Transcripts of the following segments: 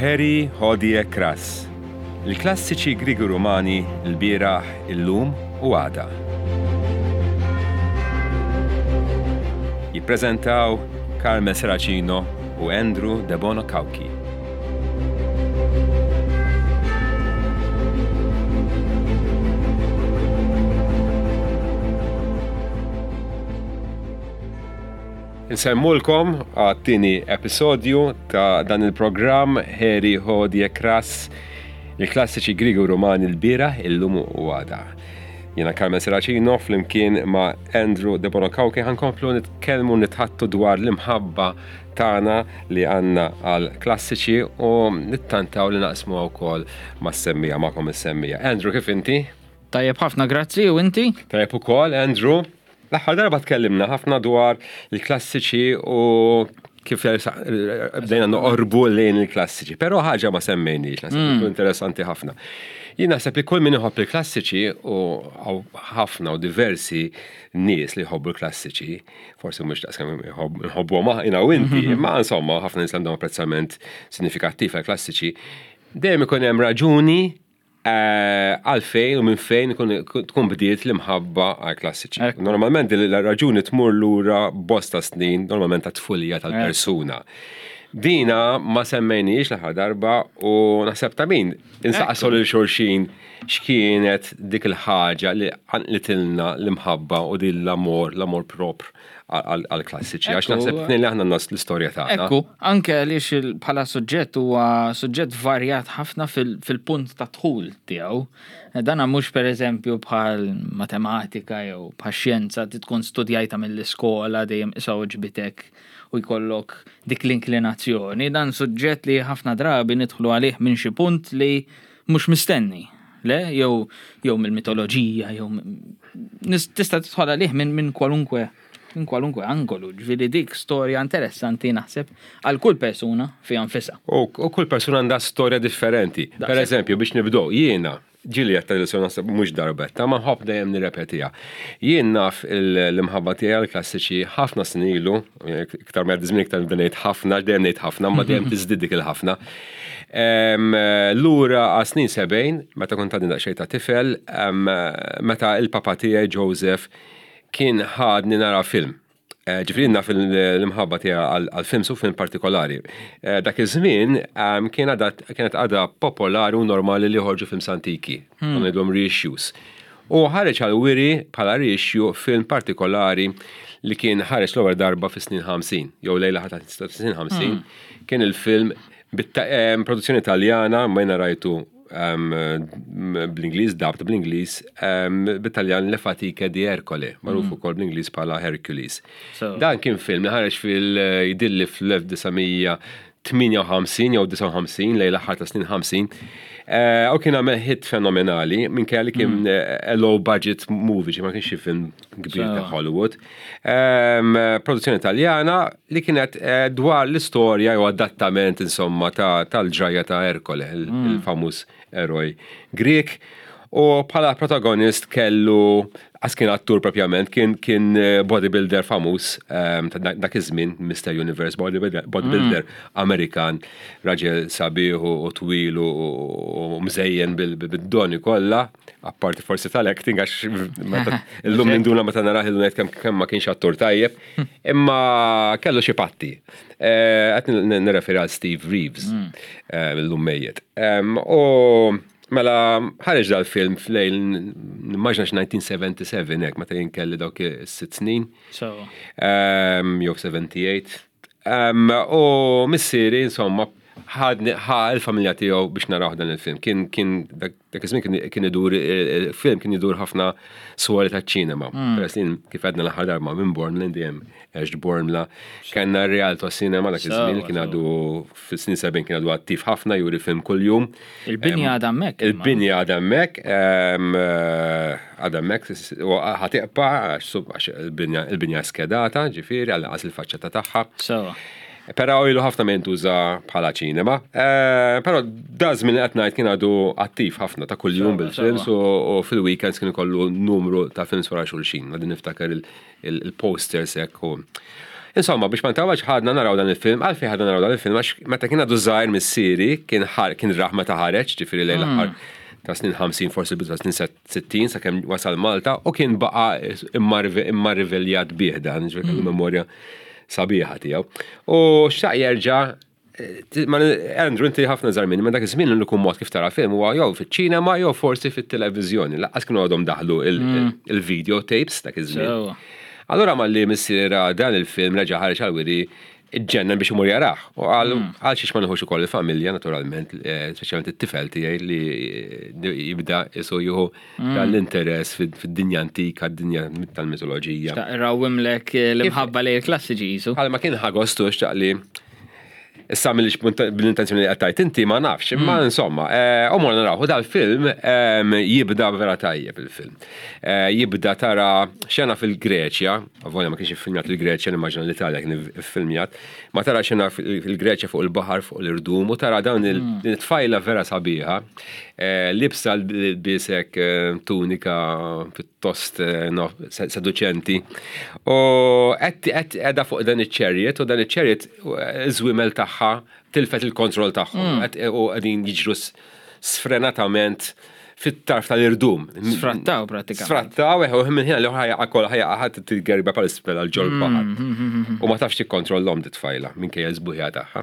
Harry Hodie Kras, il-klassiċi Griegi Rumani l-bieraħ, illum u għada. Jippreżentaw Carmel Serracino u Andrew Debono Cauchi. Insellmulkom għat-tieni episodju ta' dan il-programm Heri Hodie Kras, il-klassiċi Griegi u Rumani l-bieraħ, illum u għada. Jiena Carmen Serracino flimkien ma' Andrew Debono Cauchi ħankomplu nitkellmu nitħattu dwar l-imħabba tagħna li għandna għal klassiċi u nittantaw li naqsmu wkoll mas-semmija magħkom is-semmija. Andrew, kif inti? Tajjeb ħafna, grazzi, u inti? Tajjeb ukoll, Andrew. L-aħħar darba tkellimna ħafna dwar il-klassiċi u kif bdejna noqorbu lejn il-klassiċi. Però ħaġa ma semmejniex, naħseb mm. interessanti ħafna. Jien naħseb li kull min iħobb il-klassiċi u ħafna u diversi nies li jħobbu l-klassiċi, forsi mhux daqskemm nħobbuhom aħna u inti, mhm. imma insomma ħafna nies għandhom apprezzament sinifikattiv għall-klassiċi, dejjem ikun hemm raġuni Għalfejn u minn fejn tkun bdiet l-imħabba għal klassiċi. Normalment il-raġuni tmur lura bosta snin, normalment ta' tfulija tal-persuna. Dina ma semmejniex l-aħħar darba u naħseb ta' min insaqsu lil xulxin x'kienet dik il-ħaġa li qanqlitilna l-imħabba u din l-amor, l-amor propr għal-klassiċi, għax naħseb tnejn li aħna nas l-istorja tagħna. Ekku, anke għaliex bħala suġġett huwa suġġett varjat ħafna fil-punt ta' dħul tiegħu. Dana mhux pereżempju bħal matematika jew bħal xjenza ti tkun studjajta mill-iskola dejjem isa oġbitek u jkollok dik l-inklinazzjoni. Dan suġġett li ħafna drabi nidħlu għalih minn xi punt li mhux mistenni, le? Jew jew mill-mitoloġija, jew tista' tidħol għalih minn min kwalunkwe minn kwalunkwe angolu, ġifieri dik storja interessanti naħseb għal kull persuna fiha nfisha. U kull persuna għandha storja differenti. Per eżempju, biex nibdew, jiena ġieli qed tgħid naħseb mhux darbetta, ma nħobb dejjem nirrepetiha. Jien naf l-imħabba tiegħi għall-klassiċi ħafna snin ilu, iktar ma jgħaddi żmien iktar nibda ngħid ħafna, dejjem ngħid ħafna, ma dejjem tiżdied dik il-ħafna. Lura għas snin 70, meta kont għadni daqsxejn ta' tifel, meta il-papa tiegħi Joseph kien ħadni nara film. Eh, ġifieri naf l-imħabba tiegħi għal films u film partikolari. Eh, dak iż-żmien kienet għadha popolari u normali li joħorġu films antiki, hmm. ngħidhom reissues. U ħareġ għal wiri bħala reissue film partikolari li kien ħareġ l-ewwel darba fis-snin 50, jew lejla ħata snin 50, hmm. kien il-film bit-produzzjoni Taljana, ma jena rajtu bl-Ingliż, dubbed bl-Ingliż, bit-Taljan Le Fatiche di Ercole, magħruf hmm. ukoll bl-Ingliż bħala Hercules. Dan kien film li ħareġ fil-jidilli fl-1958 jew 59 lejn l-aħħar ta' snin 50. Eh, u kien għamel hit fenomenali minkejja li kien hmm. eh, low budget movie, ma kienx film kbir ta' Hollywood. Produzzjoni Taljana li kienet eh, dwar l-istorja jew adattament insomma tal-ġrajja ta' Erkole, hmm. il-famuż eroj Grek. U bħala protagonist kellu, għas kien attur propjament, kien kien eh, bodybuilder famuż ehm, ta' dak iż-żmien, Mr. Universe bodybuilder, bodybuilder mm. Amerikan, raġel sabiħ u twil u mżejjen bil-doni kollha, apparti forsi tal-acting għax illum ninduna meta narah illum ngħid kemm ma kienx attur tajjeb, imma kellu xi patti. Eh, qed nirreferi għal Steve Reeves, mm. eh, illum mejjet. Ehm, u Mela, ħareġ dal-film f'lejl, nimmaġna 1977, hekk, meta jien kelli dawk is-sitt snin. Ehm, jew 78. Ehm, u missieri, insomma, ħadni ħa il-familja tiegħu biex naraw dan il-film. Kien kien dak iż-żmien kien idur il-film kien idur ħafna swali taċ-ċinema. Hmm. Peress li kif għedna l-aħħar darba minn Bormla dejjem għext Bormla. Kellna r-Rialto Cinema dak iż-żmien kien għadu fis-snin 70 kien għadu attiv ħafna juri film kuljum. Il-binja għadha hemmhekk. Il-binja għadha hemmhekk, eh, għadha hemmhekk u ħatiqpa għax il-binja skedata, ġifieri għal qas il-faċċata tagħha. Sewa. Però ilu ħafna minn tuża bħala ċinema. Eh, però da żmien li qed ngħid kien għadu attiv ħafna ta' kuljum bil-films u fil-weekends kien ikollu numru ta' films wara xulxin. Għadin niftakar il-posters hekk u. Insomma, biex ma ntawwalx ħadna naraw dan il-film, għalfejn ħadna naraw dan il-film għax meta kien għadu żgħir missieri kien kien rah meta ħareġ, ġifieri lejn l-aħħar ta' snin 50 forsi bidu ta' snin 60 sakemm wasal Malta u kien baqa' immarveljat bih dan, ġifieri kellu memorja sabiħa tiegħu. U xtaq jerġa' Andrew, inti ħafna żgħar minni, ma dak iż-żmien l-uniku mod kif tara film huwa jew fiċ-ċinema jew forsi fit-televiżjoni. Lanqas kienu għadhom daħlu il-video tapes dak iż-żmien. Allura malli missiera dan il-film reġa' ħareġ għall-wiri ġġennen biex imur jarah. U qal għal xiex ma nieħux ukoll il-familja naturalment, speċjalment it-tifel tiegħi li jibda isu jieħu dan l-interess fid-dinja antika, d-dinja tal-mitoloġija. Xtaq irawwimlek l-imħabba lejn il-klassiċi qisu. Bħalma kien ħa gostu xtaq li Issa mill bl-intenzjoni li qed inti ma nafx, imma insomma, u morna naraw, u dal-film jibda vera tajjeb il-film. Jibda tara xena fil-Greċja, avolja ma kienx iffilmjat il-Greċja, nimmaġina l-Italja kien iffilmjat, ma tara xena fil-Greċja fuq il-baħar, fuq l-irdum, u tara dawn il-tfajla vera sabiħa, libsa l-bisek tunika pjuttost seduċenti. U qed qiegħda fuq dan iċ-chariot u dan iċ-chariot iż-żwiemel tagħha tilfet il-kontroll tagħhom u qegħdin jiġru sfrenatament fit-tarf tal-irdum. Sfrattaw pratikament. Sfrattaw, eħe, u minn ħin li ħajja kol ħajja ħadd tilgerba pal isfel għal ġol baħar. U ma tafx tikkontrollhom dit tfajla minkejja l-sbuħija tagħha.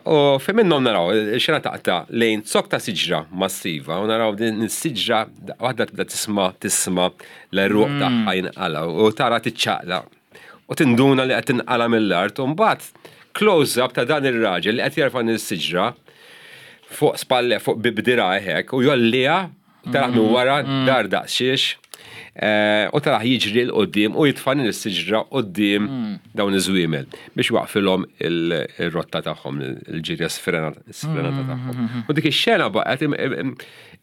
U fi minnhom naraw xena taqta' lejn zokk ta' siġra massiva u naraw din is-siġra waħda tibda tisma' tisma' l-għeruq tagħha jinqalgħu u tara tiċċaqlaq u tinduna li qed tinqala' mill-art u mbagħad close up ta' dan ir-raġel li qed jerfa' din is-siġra fuq spalle fuq b'dirgħajh hekk u jgħolliha taraħ minn wara dar daqsxiex u taraħ jiġri 'l quddiem u jitfa' din is-siġra quddiem dawn iż-żwiemel biex waqfilhom il-rotta tagħhom, il-ġirja sfrenata tagħhom. U dik ix-xena baqgħet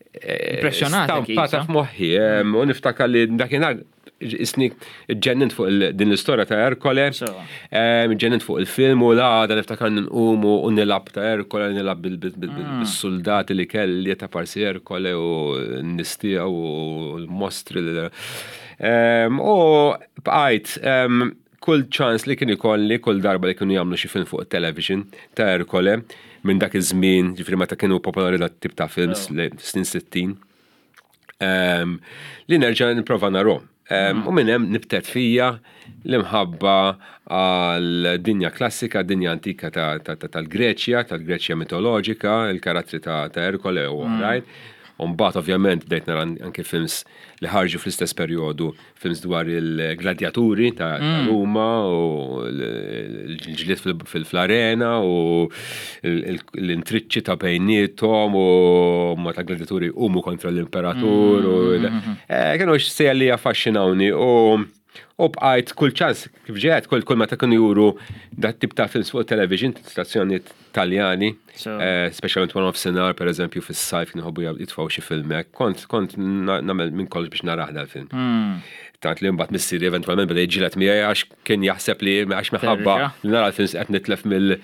Impressjonata Stampata f'moħħi u niftakar li dakinhar isni ġennint fuq din l-istorja ta' Erkole, ġennint fuq il-film u l-għada niftakar nqumu u nilab ta' Erkole, nilab bil-soldati li kelli ta' parsi Erkole u n-nistija u l-mostri. U bqajt kull ċans li kien ikolli, kull darba li kienu jagħmlu xi film fuq television ta' Erkole, minn dak iż-żmien, ġifieri meta kienu popolari dat tip ta' films, snin 60, li nerġa' nipprova narhom. U minn hemm nibtet fija l-imħabba għal dinja klassika, dinja antika tal-Greċja, tal-Greċja mitoloġika, il-karattri ta' Erkole u oħrajn. U mbagħad ovvjament bdejt nara anke films li ħarġu fl-istess perjodu, films dwar il-gladjaturi ta' Ruma u l-ġlied fl-arena u l-intriċċi ta' bejniethom u meta gladiaturi jqumu kontra l-imperatur. Kienu sejja li affaxxinawni u U bqajt kull ċans, kif ġejt, kull kull meta kienu juru dat tip ta' films fuq television, stazzjonijiet Taljani, speċjalment wara nofsinhar, per eżempju, fis-sajf kienu jħobbu jitfgħu xi film hekk. Kont kont nagħmel minn kollox biex narah dal-film. Tant li mbagħad missieri eventwalment beda jiġġieled miegħi għax kien jaħseb li għax minħabba li nara l-films qed nitlef mill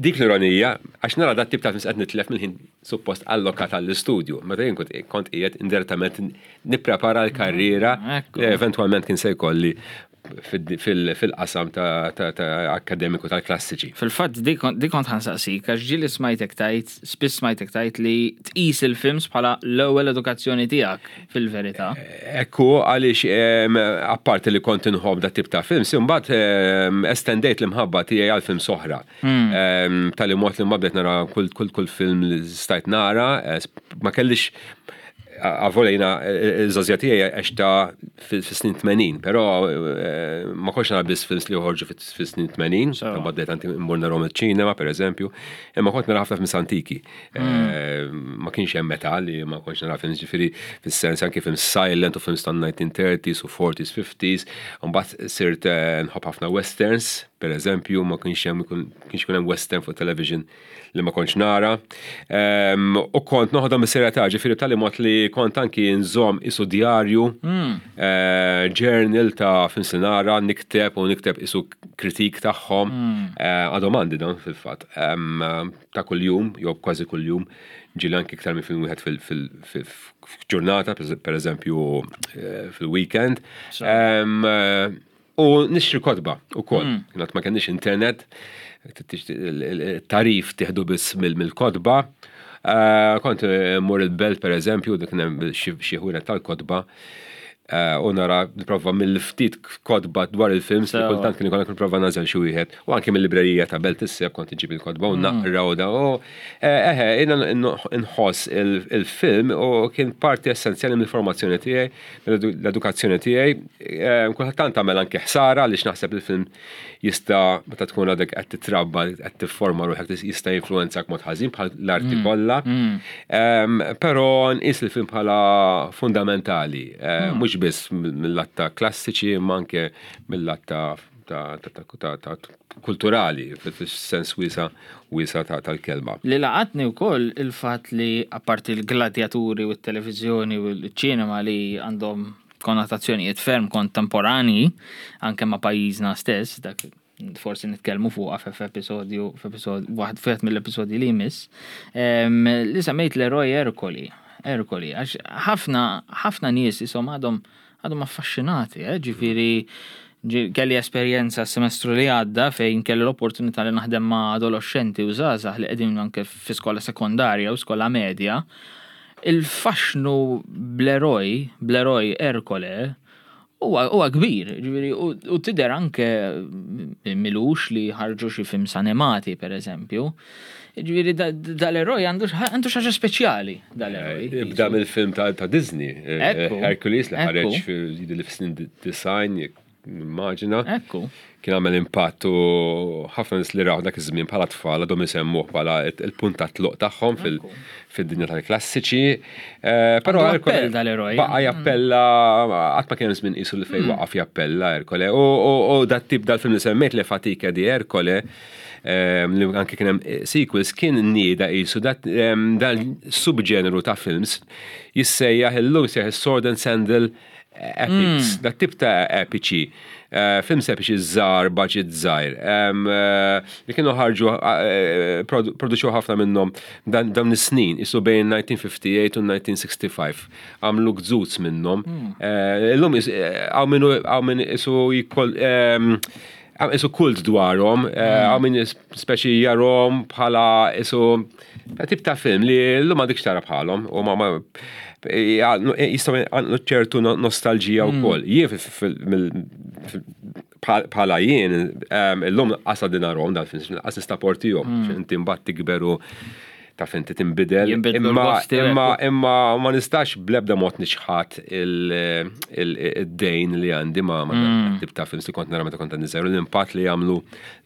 dik l-ironija, għax nara dat tip ta' films qed nitlef mill-ħin suppost allokat għall-istudju. Meta jien kont qiegħed indirettament nipprepara l-karriera li eventwalment kien se jkolli fil-qasam ta' akkademiku tal-klassiċi. Fil-fatt dik kont ħa nsaqsik għax ġieli smajtek tgħid, spiss smajtek tgħid li tqis il-films bħala l-ewwel edukazzjoni tiegħek fil-verità. Ekku għaliex apparti li kont inħobb dat tip ta' films, imbagħad estendejt l-imħabba tiegħi għal films oħra. Tali mod li mbagħad bdejt nara kull film li stajt nara, ma kellix avolja jiena iż-żgħożija tiegħi għextha fis-snin 80, però ma kontx nara biss films li joħorġu fis-snin 80, imbagħad bdejt anki mmur narahom iċ-ċinema pereżempju, imma kont nara ħafna films antiki. Ma kienx hemm età li ma kontx nara films, ġifieri fis-sens anki films silent u films tan-1930s u 40s, 50s, u mbagħad sirt nħobb ħafna westerns, pereżempju, ma kienx hemm kienx ikun hemm western fuq television li ma kontx nara. U kont noħodhom bis-serjetà, ġifieri b'tali mod li kont anki nżomm isu djarju, journal ta' films li nara, nikteb u nikteb isu kritik tagħhom. Għadhom għandi dawn fil-fatt. Ta' kuljum, jew kważi kuljum, ġieli anki iktar minn film wieħed fil-ġurnata, per eżempju fil-weekend. U U nixtri kotba ukoll. Kienet ma kenniex internet, tarif tieħdu biss mill-kotba. Kont mur il-belt per eżempju, dik hemm xi ħwienet tal-kotba. U nara nipprova mill-ftit kotba dwar il-films li kultant kien ikollok nipprova nagħżel xi wieħed. U anke mill-librerija ta' Belt Isseb kont inġib il-kotba u naqra u da. U eħe, jiena nħoss il-film u kien parti essenzjali mill-formazzjoni tiegħi, l-edukazzjoni tiegħi. Kulħadd tant tagħmel anke ħsara għaliex naħseb il-film jista' meta tkun għadek qed titrabba, qed tifforma ruħek jista' jinfluwenzak mod ħażin bħal l-arti kollha. Però nqis il-film bħala fundamentali, mhux biss mill-lat ta' klassiċi imma anke mill-lat ta' kulturali fis-sens wiesa wiesa tal-kelma. Li laqatni wkoll il-fatt li apparti l-gladjaturi u t-televiżjoni u l-ċinema li għandhom konnotazzjonijiet ferm kontemporanji anke ma' pajjiżna stess, dak forsi nitkellmu fuqha f'episodju f'episodju waħd wieħed mill-episodji li jmiss, li semmejt l-eroj Erkoli. Erkoli, għax ħafna ħafna nies isom għadhom għadhom affaxxinati, eh? Ġifieri kelli esperjenza s-semestru li għadda fejn kelli l-opportunità li naħdem ma' adolescenti u żgħażagħ li qegħdin anke fi skola sekondarja u skola medja. Il-faxxnu bl-eroj, bl-eroj Erkole, huwa huwa kbir, ġifieri u tidher anke milux li ħarġu xi films animati pereżempju. Ġifieri dal-eroj għandu għandu xi ħaġa speċjali dal-eroj. Ibda mill-film ta' Disney, Hercules li ħareġ fil snin design, nimmaġina. Ekku. Kien għamel impatt u ħafna nies li raw dak iż-żmien bħala tfal għadhom isemmuh bħala il-punt ta' tluq tagħhom fid-dinja tal-klassiċi. Però Erkole dal-eroj. Baqa' jappella qatt ma kien hemm żmien qisu li fejn waqaf jappella Erkole. U dat tip dal-film li semmejt Le Fatiche di Ercole li anke kien hemm sequels kien nieda qisu dal-subġeneru ta' films jissejjaħ illum jissejjaħ is-Sword and Sandal epics, dat tip ta' epiċi, films epiċi żgħar, budget żgħir, li kienu ħarġu produċew ħafna minnhom dawn is-snin, isu bejn 1958 u 1965. Għamlu gżuz minnhom. Illum hawn min isu jkoll isu kult dwarhom, hawn min speċi jarhom bħala isu tip ta' film li llum m'għandekx tara bħalhom u ma jistgħu għandu ċertu nostalġija wkoll. Jien bħala jien illum qas għadni narhom dal-films, qas nista' portihom, inti mbagħad tikber u taf inti tinbidel. Imma imma ma nistax bl-ebda mod niċħad id-dejn li għandi ma tip ta' films li kont nara meta kont għandi żgħir u l-impatt li jagħmlu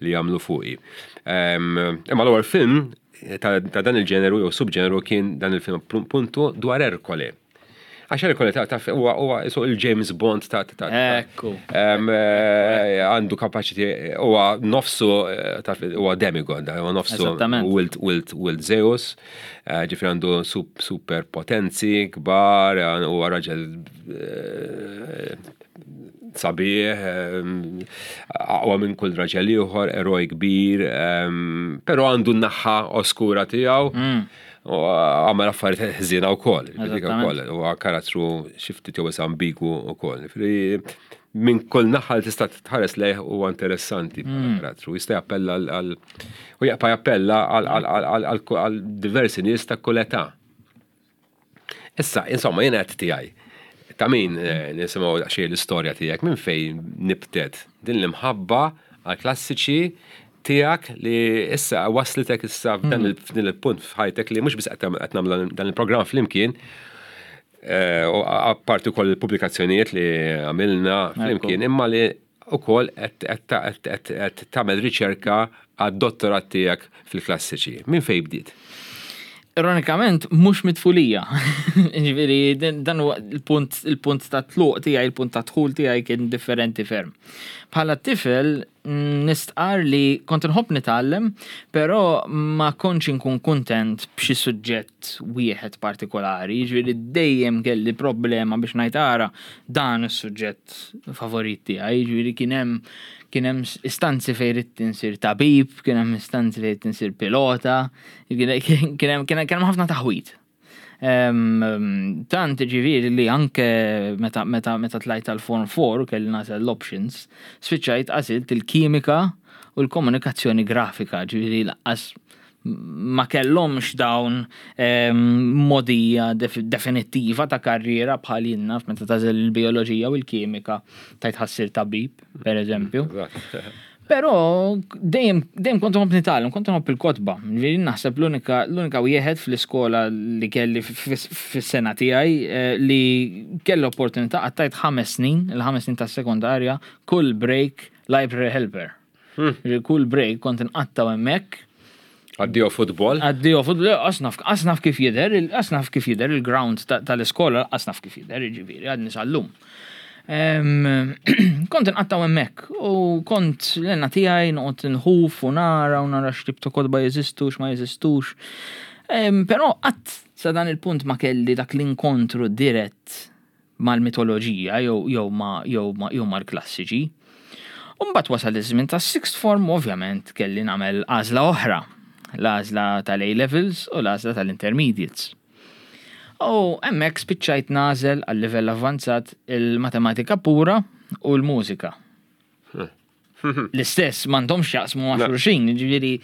li jagħmlu fuqi. Imma l-ewwel film ta' dan il-ġeneru jew subġeneru kien dan il-film puntu dwar Erkole. Għax Erkole ta' huwa huwa isu il-James Bond ta' ta' Ekku. Għandu kapaċiti huwa nofsu ta' huwa demigod, huwa nofsu wild wild wild Zeus, ġifieri għandu super potenzi kbar, huwa raġel sabiħ, aqwa minn kull raġel ieħor, eroj kbir, però għandu n-naħa oskura tiegħu. U għamel affarijiet ħżiena wkoll, ukoll, huwa karattru xi ftit jew ambigu wkoll. Minn kull naħa li tista' tħares lejh huwa interessanti bħala karattru. Jista' jappella għal u jaqpa' jappella għal diversi nies ta' kull età. Issa, insomma, jiena qed tiegħi. Ta' min nisimgħu daqsxejn l-istorja tiegħek minn fejn nibtet din l-imħabba għal klassiċi tiegħek li issa waslitek issa f'dan il-punt f'ħajtek li mhux biss qed nagħmlu dan il-programm flimkien, u apparti wkoll il-pubblikazzjonijiet li għamilna flimkien, imma li wkoll qed tagħmel riċerka għad-dottorat tiegħek fil-klassiċi. Minn fejn bdiet? Ironikament, mhux mit-tfulija. Ġifieri, dan huwa il-punt il-punt ta' tluq tiegħi, il-punt ta' dħul tiegħi kien differenti ferm. Bħala tifel nistqar li kont inħobb nitgħallem, però ma kontx inkun kuntent b'xi suġġett wieħed partikolari, jiġifieri dejjem kelli problema biex ngħid ara dan is-suġġett favorit tiegħi, jiġifieri kien hemm kien hemm istanzi fejn ridt insir tabib, kien hemm istanzi fejn ridt insir pilota, kien hemm kien hemm ħafna taħwid. Tant ġifieri li anke meta meta meta tlajt tal-Form 4 kelli nagħżel l-options, spiċċajt għażilt il-kimika u l-komunikazzjoni grafika, ġifieri laqqas ma kellhomx dawn mogħdija definittiva ta' karriera bħal jien naf meta tagħżel il-bijoloġija u l-kimika tajt ħassir tabib, per eżempju. Però dejjem dejjem kont nħobb nitgħallem, kont nħobb il-kotba. Ġifieri naħseb l-unika l-unika wieħed fl-iskola li kelli fis-sena tiegħi eh, li kelli opportunità qattajt ħames snin, il-ħames snin tas-sekondarja, kull break library helper. Hmm. Kull break kont inqattaw hemmhekk. Addio futbol? Addio futbol, asnaf, asnaf kif jidher, asnaf kif jidher il-ground tal-iskola, asnaf kif jidher, ġifieri, għadni sal-lum. Kont inqattaw hemmhekk u kont l-għenna tiegħi noqgħod nħuf u nara u nara x'tip ta' kotba jeżistu x'ma jeżistux. Però qatt sa dan il-punt ma kelli dak l-inkontru dirett mal-mitoloġija jew jew ma jew ma jew mal-klassiċi. U mbagħad wasal iż-żmien tas-sixth form u ovvjament kelli nagħmel għażla oħra, l-għażla tal-A levels u l-għażla tal-intermediates. U hemmhekk spiċċajt nagħżel għal livell avvanzat il-matematika pura u l-mużika. L-istess m'għandhomx jaqsmu ma' xulxin, ġifieri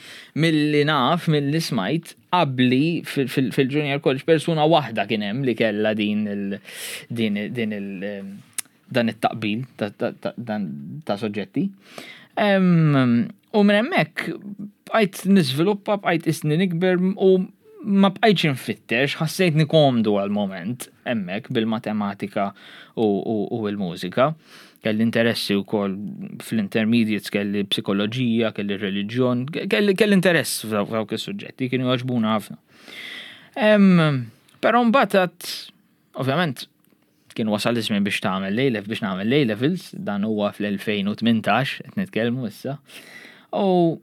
milli naf, milli smajt, qabli fil-junior college persuna waħda kien hemm li kellha din il din din il dan it-taqbil ta' soġġetti. U minn hemmhekk bqajt niżviluppa, bqajt isni nikber u ma bqajtx infittex, ħassejtni komdu għal-moment hemmhekk bil-matematika u l-mużika. Kelli interessi wkoll fl-intermediates, kelli psikoloġija, kelli reliġjon, kelli kelli interess f'dawk is-suġġetti, kienu jogħġbuna ħafna. Però mbagħad ovvjament kien wasal iż-żmien biex tagħmel A biex nagħmel A levels, dan huwa fl-2018 qed nitkellmu issa. U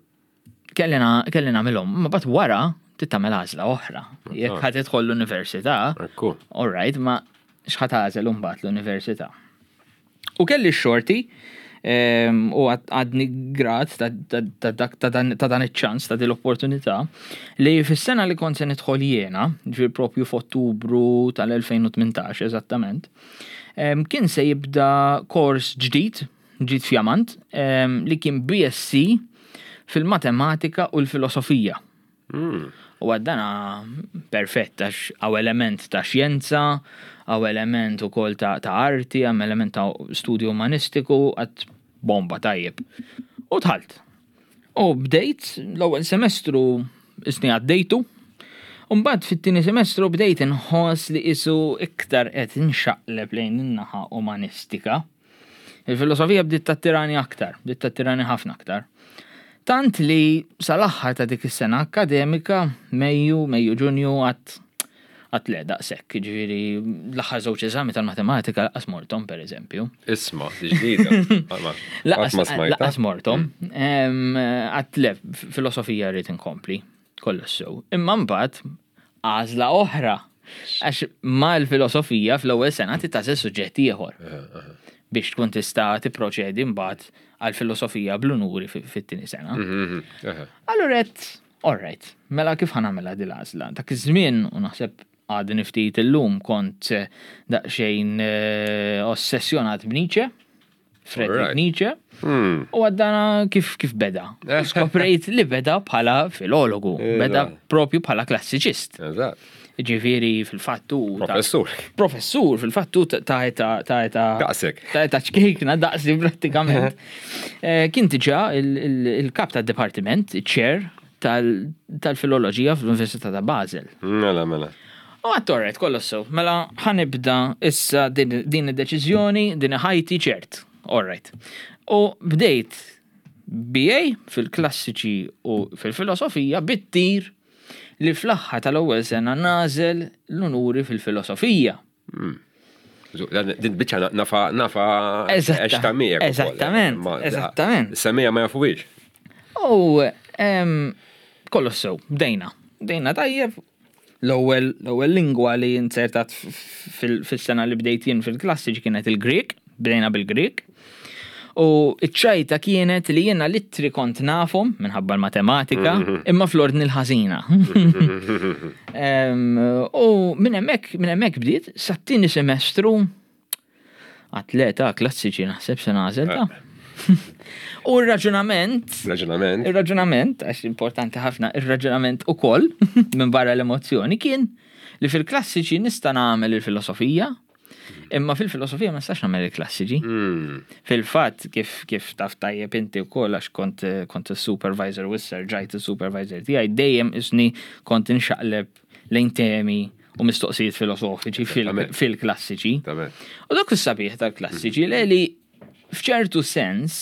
kelli nagħmilhom, ma bat wara trid tagħmel għażla oħra. Jekk ħa tidħol l-università, all right, ma x'ħa tagħżel imbagħad l-università. U kelli x-xorti ehm, u għadni grat ta' dan iċ-ċans, ta' din l-opportunità, li fis-sena li kont se nidħol jiena, ġifier propju f'Ottubru tal-2018 eżattament, ehm, kien se jibda kors ġdid ġid fjamant, ehm, li kien BSc fil-matematika u l-filosofija. Hmm. U għaddana perfett, għax għaw element ta' xjenza, għaw element u kol ta', ta arti, għam element ta' studju umanistiku, għad bomba tajjeb. U tħalt. U bdejt l-ewwel semestru isni għaddejtu, Umbagħad fit-tieni semestru bdejt inħoss li isu iktar qed inxaqleb lejn in-naħa umanistika. Il-filosofija bdiet tattirani aktar, bdiet tattirani ħafna aktar. Tant li sal-aħħar ta' dik is-sena akkademika, Mejju, Mejju Ġunju, għat għat le daqshekk, ġifieri l-aħħar żewġ eżami tal-matematika laqas mortom pereżempju. Isma, ġdida. Laqas mortom. Għat le, filosofija rrid inkompli. Kollox sew. Imma mbagħad għażla oħra. Għax mal-filosofija fl-ewwel sena titgħażel suġġett ieħor. Biex tkun tista' tipproċedi mbagħad għall-filosofija bl-unuri fit-tieni sena. Mhm, mhm, Allura qed, all right, mela kif ħa nagħmilha din l-għażla? Dak iż-żmien u naħseb għadni ftit illum kont daqsxejn eh, ossessjonat b'Nietzsche. Frederick Nietzsche. Hmm. U għaddana kif kif beda. Skoprejt li beda bħala filologu, beda propju bħala klassiċist. Ġifieri fil-fattu. Professur. Professur fil-fattu ta' eta ta' eta. Daqsek. Ta' eta ċkejkna daqsi prattikament. Eh, kien diġà il-kap tad-dipartiment, il-chair tal-filoloġija fl-Università ta' Basel. Mela, mela. U għat-torret, kollox sew. Mela, ħanibda issa din id-deċiżjoni, din ħajti ċert. All right. U bdejt BA fil-klassiċi u fil-filosofija bit-tir li fl-aħħar tal-ewwel sena nażel l-unuri fil-filosofija. Hmm. Din biċċa nafa nafa eżatt miegħek. Eżattament, eżattament. Semija ma jafuwiex. U kollox sew, bdejna. Bdejna tajjeb, l-ewwel l-ewwel lingwa li insertat fis-sena li bdejt jien fil-klassiċi kienet il-Grieg, bdejna bil-Grieg. U ċ-ċajta kienet li jiena l-ittri kont nafhom minħabba l-matematika, imma fl-ordni l-ħażina. U minn hemmhekk minn hemmhekk bdiet sat-tieni semestru atleta klassiċi naħseb se nagħżel ta'. U r-raġunament. Raġunament. Ir-raġunament, għax importanti ħafna, ir-raġunament ukoll minn barra l-emozzjoni kien li fil-klassiċi nista' nagħmel il-filosofija, Imma fil-filosofija ma nistax nagħmel il-klassiċi. Fil-fatt kif kif taf tajjeb inti wkoll għax kont kont is-supervisor u issa rġajt is-supervisor tiegħi dejjem isni kont inxaqleb lejn temi u mistoqsijiet filosofiċi fil-klassiċi. U dak is-sabiħ tal-klassiċi li li f'ċertu sens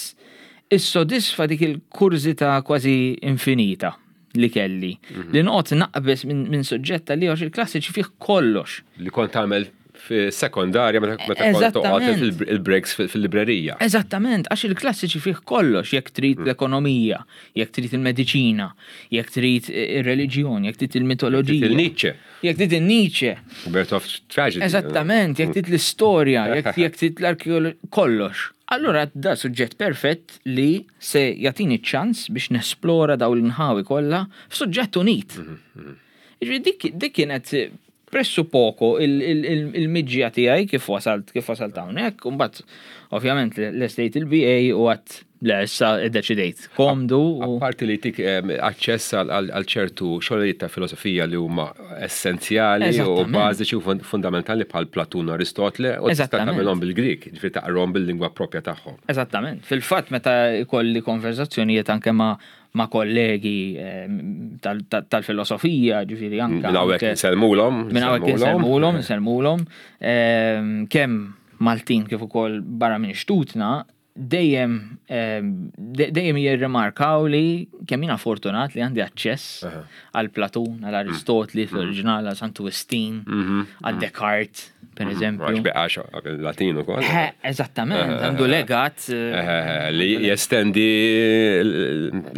issodisfa dik il-kurżità kważi infinita li kelli. Mhm. Li noqgħod naqbeż minn suġġett li għax il-klassiċi fih kollox. Li kont tagħmel sekondarja meta kont toqgħod il-breaks fil-librerija. Eżattament, għax il-klassiċi fih kollox, jekk trid mm. l-ekonomija, jekk trid il-mediċina, jekk trid ir-reliġjon, jekk trid il-mitoloġija. Il-Nietzsche. Jekk trid il-Nietzsche. Birth of Tragedy. Eżattament, jekk trid l-istorja, jekk trid l-arkeoloġija, kollox. Allura da suġġett perfett li se jagħtini ċ-ċans biex nesplora dawn l-inħawi kollha f'suġġett unit. Mhm, mhm. Jiġifieri dik dik kienet pressu poco il-miġja tiegħi kif wasalt kif wasalt hawnhekk, u mbagħad ovvjament lestejt il-BA u għat le issa iddeċidejt. Komdu. Apparti li tik aċċess għal ċertu xogħlijiet ta' filosofija li huma essenzjali u bażiċi u fundamentali bħal Platun u Aristotle u tista' tagħmilhom bil-Grieg, ġifieri taqrahom bil-lingwa proprja tagħhom. Eżattament. Fil-fatt meta jkolli konverżazzjonijiet anke ma' ma' kollegi tal-filosofija, ġifieri anke. Minn hawnhekk insellmulhom. Minn hawnhekk insellmulhom, insellmulhom. Kemm Maltin kif ukoll barra minn xtutna, dejjem dejjem jirrimarkaw li kemm jiena fortunat li għandi aċċess għal Platun, għal Aristotli fl-oriġinal, għal Santu Wistin, għal Descartes, per eżempju. Għax beqax Latin ukoll. Eżattament, għandu legat. Li jestendi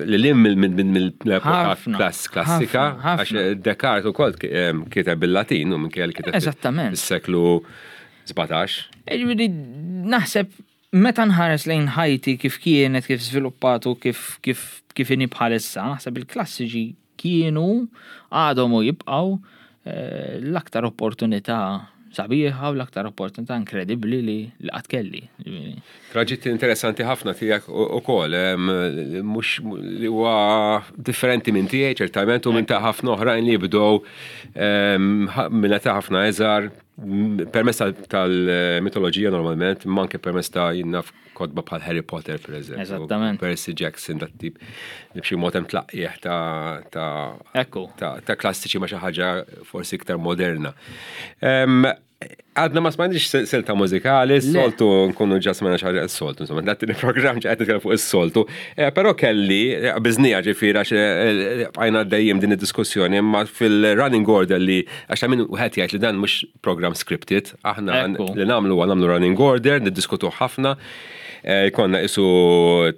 li lim mill-epoka klassika, għax Descartes ukoll kiteb bil-Latin u minkejja li kiteb. Eżattament. Is-seklu 17. Ġifieri naħseb meta nħares lejn ħajti kif kienet, kif żviluppat u kif kif kif inhi bħalissa, naħseb il-klassiċi kienu, għadhom u jibqgħu eh, l-aktar opportunità sabiħa u l-aktar opportunità inkredibbli li qatt kelli. Traġitt interessanti ħafna tiegħek ukoll, mhux li huwa differenti minn tiegħi ċertament u minn ta' ħafna oħrajn li jibdew minn età ħafna iżgħar Permezz tal-mitoloġija normalment, imma anke permezz ta' jien naf kotba bħal Harry Potter, per eżempju. Eżattament. Percy Jackson, dat tip li b'xi mod hemm tlaqqieħ ta' ta' Ekku. ta' klassiċi ma' xi ħaġa forsi iktar moderna. Għadna ma smajniex silta mużikali, soltu nkunu ġa smajna xi ħaġa soltu, insomma, dat il-programm ġa qed nitkellem fuq is-soltu. Eh, però kelli, eh, biżnija ġifieri għax eh, bqajna dejjem din id-diskussjoni, imma fil-running order li Għax ta' min wieħed jgħid li dan mhux program scripted, aħna li nagħmlu huwa nagħmlu running order, niddiskutu ħafna, eh, jkollna isu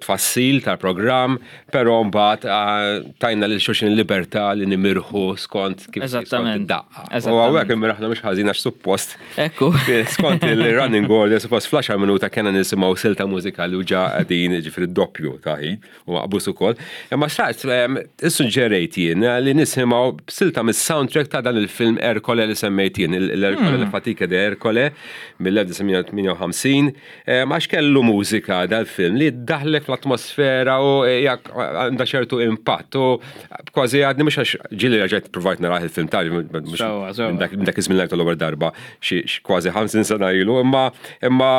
tfassil tal-programm, però mbagħad eh, tajna lil xulxin libertà li nimirħu skont kif skont id-daqqa. U hawnhekk imraħna mhux ħażin għax suppost. Ekku. Skont il-running order, suppost fl-10 minuta kena nisimgħu silta mużikali u ġa qegħdin ġifieri doppju ta' ħin. U maqbus ukoll. Imma xtaqt issuġġerejt jien li nisimgħu silta mis-soundtrack ta' dan il-film Ercole li semmejt jien, l-Ercole mm. Fatica de Ercole mill-1958, għax kellu mużika dal-film li daħlek fl-atmosfera u eh, għandha ċertu impatt u kważi għadni mhux għax ġieli reġgħet provajt naraħ il-film ta' minn dak iż-żmien l-ewwel darba xi kważi 50 sena ilu, imma imma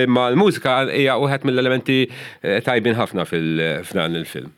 imma l-mużika hija wieħed mill-elementi eh, tajbin ħafna f'dan il-film.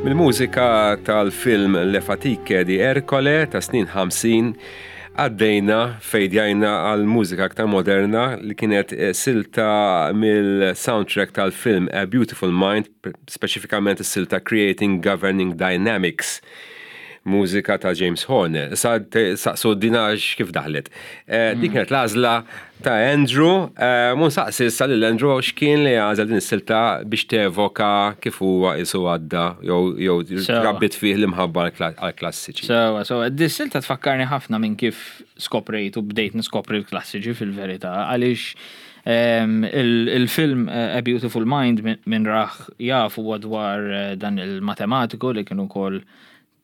Mill-mużika tal-film Le Fatiche di Ercole ta' snin 50 għaddejna fejdjajna għal mużika aktar moderna li kienet eh, silta mill-soundtrack tal-film A Beautiful Mind, speċifikament is-silta Creating Governing Dynamics mużika ta' James Horner. Sa saqsu dinax kif daħlet. Eh, dik kienet l-għażla ta' Andrew, eh, mun saqsi issa lil Andrew x'kien li għażel din is-silta biex tevoka kif huwa isu għadda jew rabbit fih l-imħabba għall-klassiċi. Sewa, sewa, dis-silta tfakkarni ħafna minn kif skoprejt u bdejt niskopri l-klassiċi fil-verità, għaliex ehm, il-film eh, A Beautiful Mind minn raħ jaf huwa dwar dan il-matematiku li kienu kol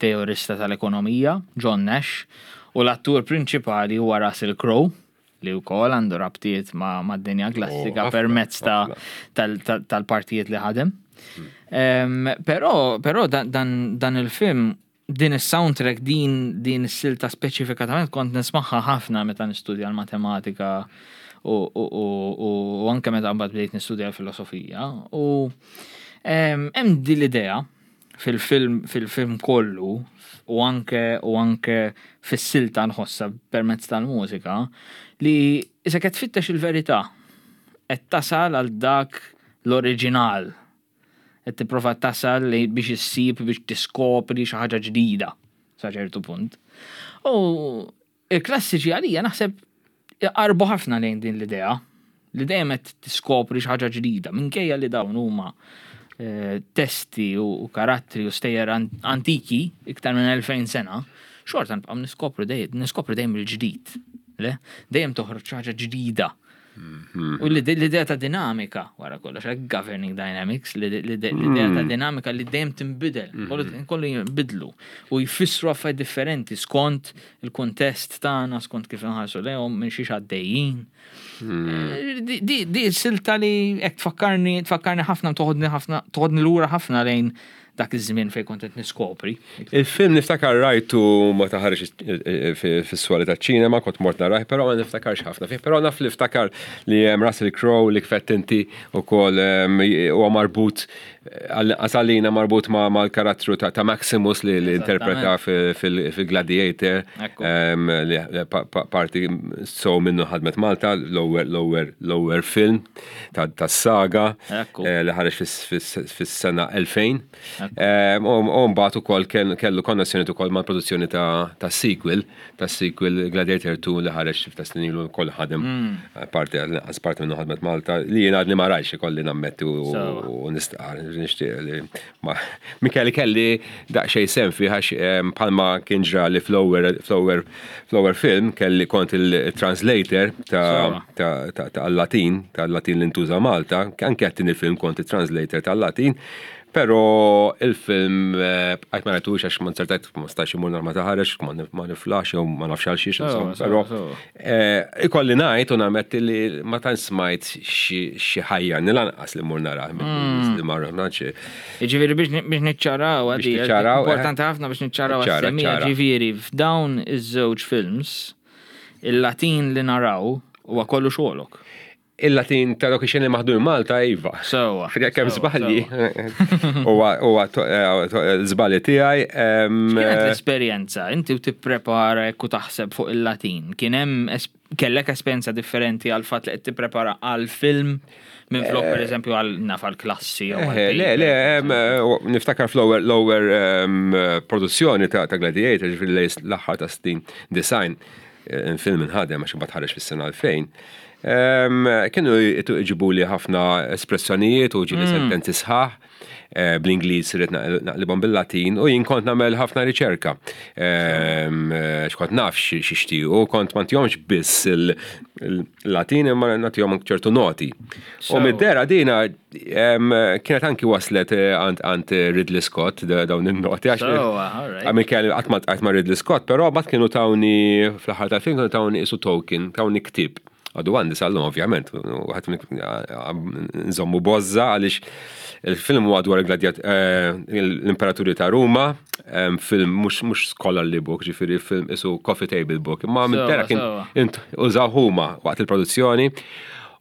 teorista tal-ekonomija, John Nash, u l-attur prinċipali huwa Russell Crowe, li wkoll għandu rabtiet ma' dinja klassika oh, permezz tal-partijiet li ħadem. Hmm. Però però dan il-film din is-soundtrack din din is-silta speċifikatament kont nismagħha ħafna meta nistudja l-matematika u, u, u, u anke meta mbagħad bdejt nistudja l-filosofija. U hemm din l-idea fil-film fil-film kollu u anke u anke fis-silta nħossha permezz tal-mużika li isek qed tfittex il-verità qed tasal għal dak l-oriġinal. Qed tipprova tasal li biex issib biex tiskopri xi ħaġa ġdida sa ċertu punt. U Il-klassiċi għalija naħseb iqarrbu ħafna lejn din l-idea li dejjem qed tiskopri xi ħaġa ġdida minkejja li dawn huma eh, testi u karattri u stejjer antiki iktar minn 2000 sena, xorta nibqgħu niskopru dejjem niskopru dejjem il-ġdid. Le? Dejjem toħroġ xi ħaġa ġdida. Mhm. U l-idea ta' dinamika, wara kollox, għak governing dynamics, l-idea ta' mm. dinamika li dejjem tinbidel, mm-hmm. kollu jinbidlu u jfissru affarijiet differenti skont il-kuntest tagħna, skont kif inħarsu lehom minn xiex għaddejjin. Mm. Eh, di silta li hekk tfakkarni, tfakkarni ħafna, toħodni ħafna, toħodni lura ħafna lejn dak iż-żmien fejn kont qed niskopri. Il-film niftakar rajtu meta ħareġ fis-swali taċ-ċinema, kont mort narah, però ma niftakarx ħafna fih, però naf li ftakar li hemm Russell Crowe li kfett inti wkoll huwa marbut għall-inqas għalina marbut mal-karattru ta' Maximus li interpreta fil-Gladiator li parti so minnu ħadmet Malta, l-ewwel film. tas-saga eh, li ħareġ fis-sena 2000. Eh, u mbagħad ukoll kellu konnessjoni ukoll mal-produzzjoni ta' sequel, ta' sequel Gladiator 2 li ħareġ ta' snin ilu wkoll ħadem mm. eh, parti għas parti minnu ħadmet Malta li jien għadni ma rajx ikolli nammetti u nistqar nixtieq li Mikel kelli daqsxejn sem fih għax bħalma kien ġrali fl-ewwel fl-ewwel film kelli kont il-translator tal-Latin, tal-Latin li ntuża Malta, anke għat-tieni film kont il-translator tal-Latin, però il-film eh, bqajt ma rajtux għax ma nsertajt ma stax imur nar ma taħarex, ma niflax jew ma nafx għal xiex, però eh, ikolli ngħid u nammetti li ma tantx smajt xi ħajja lanqas li mmur narah mm. li ma rħnax. Ġifieri biex niċċaraw għadi. Eh. Importanti ħafna biex niċċaraw għas-semija. Ġifieri f'dawn iż-żewġ films il-Latin li naraw huwa kollu xogħolok. Il-Latin ta' dawk ix-xeni maħdum Malta iva. Sewwa. Kemm żbalji. Huwa eh, żbalji tiegħi. Kienet l-esperjenza inti u tipprepara jekk u taħseb fuq il-Latin. Kien hemm Kellek esperjenza differenti għal fatt li qed tipprepara għal film minn flok per eżempju għal naf għal klassi jew għal Le, le, niftakar fl-ewwel l-ewwel produzzjoni ta' Gladiator, ġifieri l-aħħar ta' snin design, film inħadem għax imbagħad ħareġ fis-sena 2000. Kienu jġibuli ħafna espressjonijiet u ġieli sentenzi sħaħ. Eh, bl-Ingliż irrid naqlibhom bil-Latin u jien kont nagħmel ħafna riċerka. Ehm, eh, x'kont naf xixtiequ, kont ma ntihomx biss il-Latin imma nagħtihom ċertu noti. U mid-dera dina ehm, kienet anki waslet eh, għand Ridley Scott dawn in-noti għax għamil kelli qatt ma ma Ridley Scott, però bat kienu tawni fl-aħħar tal-film kienu tawni isu token, tawni ktib. Għadu għandi sal-lum ovvjament, għat nżommu bozza għaliex il-film huwa dwar eh, l-imperaturi ta' Ruma, film mhux scholarly book, ġifieri film isu coffee table book, imma minn kien użaw huma waqt il-produzzjoni.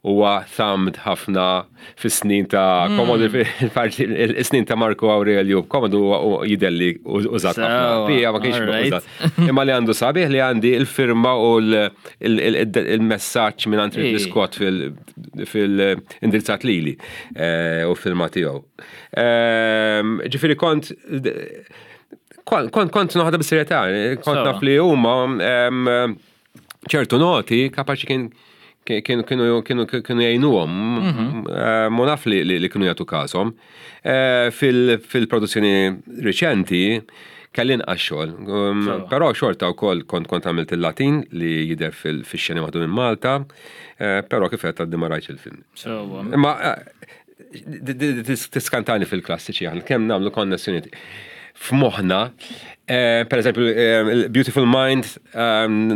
huwa thumbed ħafna fis-snin ta' Commodore, fil-snin ta' Marco Aurelio, Commodore jidher li użat ħafna. Pija ma kienx użat. Imma li għandu sabiħ li għandi il-firma u l-messaġġ minn Ridley Scott fil-indirizzat lili u firma tiegħu. Ġifieri kont noħodha bis-serjetà, kont naf li huma ċertu noti kapaċi kien kienu kienu kienu jgħinuhom. Mu naf li kienu jagħtu każhom. Fil-produzzjoni riċenti kelli inqas xogħol. Però xorta wkoll kont għamilt il-Latin li jidher fix-xeni waħdu minn Malta, però kif qed għaddi ma rajtx il-film. Imma tiskantani fil-klassiċi aħna kemm nagħmlu konnessjoni f'moħħna. Per eżempju, Beautiful Mind,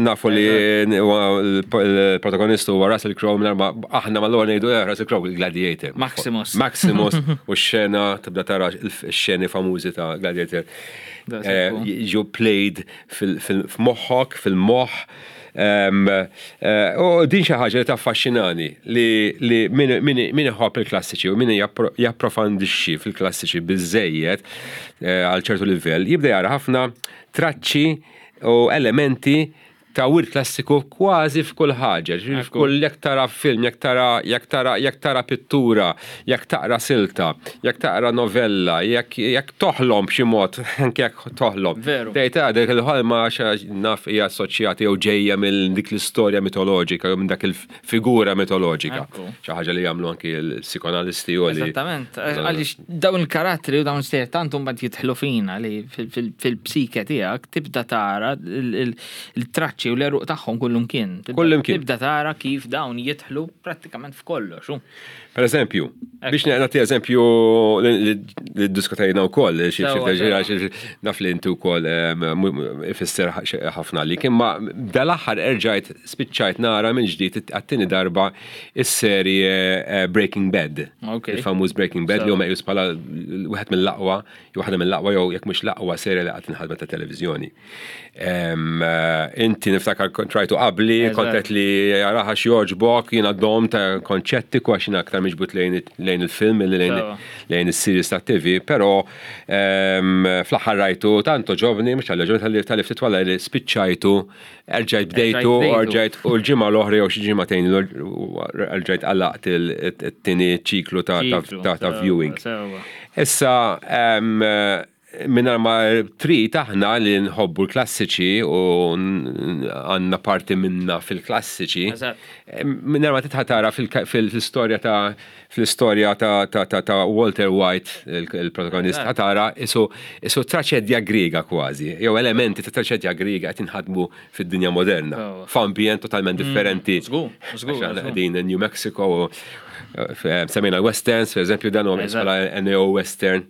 nafu li il-protagonista huwa Russell Crowe, minn aħna mal-ewwel ngħidu Russell Crowe, Gladiator. Maximus. Maximus u x-xena tibda tara x-xeni famużi ta' Gladiator. Ġu played fil-moħħok, fil-moħħ. U din xi ħaġa li taffaxxinani li min iħobb il-klassiċi u min japprofondixxi fil-klassiċi biżejjed għal ċertu livell jibda jara ħafna traċċi u elementi ta' wirt klassiku kważi f'kull ħaġa. F'kull jekk tara film, jekk tara pittura, jekk taqra silta, jekk taqra novella, jekk toħlom b'xi mod, anke jekk toħlom. Veru. Tgħid dik il-ħolma naf hija assoċjata jew ġejja mill dik l-istorja mitoloġika jew minn dak il-figura mitoloġika. Xi ħaġa li jagħmlu anki l-psikoanalisti u li. Eżattament. Għaliex dawn il-karattri u dawn stejjer tant mbagħad jidħlu fina li fil-psike tiegħek tibda tara il-traċċi u l-għeruq tagħhom kullimkien. Kullimkien. Tibda tara kif dawn jidħlu prattikament f'kollox. Per eżempju, biex nagħti eżempju li diskutajna wkoll, naf li inti wkoll ifisser ħafna li kien ma dal-aħħar erġajt spiċċajt nara minn ġdid għat-tieni darba is-serje Breaking Bad. Il-famuż Breaking Bad li hu meqjus bħala wieħed mill-aqwa, waħda mill-aqwa jew jekk mhux l-aqwa serje li qatt inħadmet ta' televiżjoni. Inti niftakar rajtu qabli, kontet li jaraha x'jogħġbok, jiena dom ta' konċettiku għax jiena aktar miġbut lejn il-film milli lejn is-series ta' TV, però fl-aħħar rajtu tant għoġobni, mhux tal ġobni tal-li ftit wara li spiċċajtu, erġajt bdejtu, erġajt u l-ġimgħa l-oħra jew xi ġimagħtejn erġajt għalaqt it-tieni ċiklu ta' viewing. Issa, minna ma trid aħna li nħobbu l-klassiċi u għandna parti minna fil-klassiċi. Minna ma titħa tara fil-istorja ta' Walter White, il-protagonist, tara isu traċedja griega kważi, jew elementi ta' traċedja griega qed inħadmu fid-dinja moderna. F'ambjent totalment differenti. Qegħdin New Mexico, semmejna westerns, per eżempju, dan huwa bħala neo-western.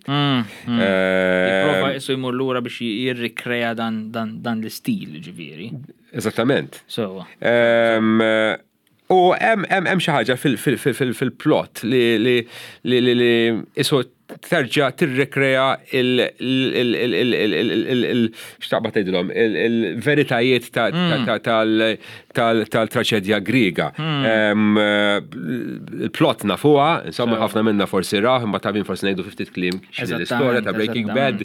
Prova jisu jmur lura biex jirrikrea dan l-istil, ġifieri. Eżattament. U hemm xi ħaġa fil-plot li isu terġa' tirrikrea il x'taqbad tgħidilhom il-veritajiet tal-traċedja griega. Il-plot nafuha, insomma ħafna minna forsi raw, imma ta' forsi ngħidu ftit kliem x'inhi l-istorja ta' Breaking Bad.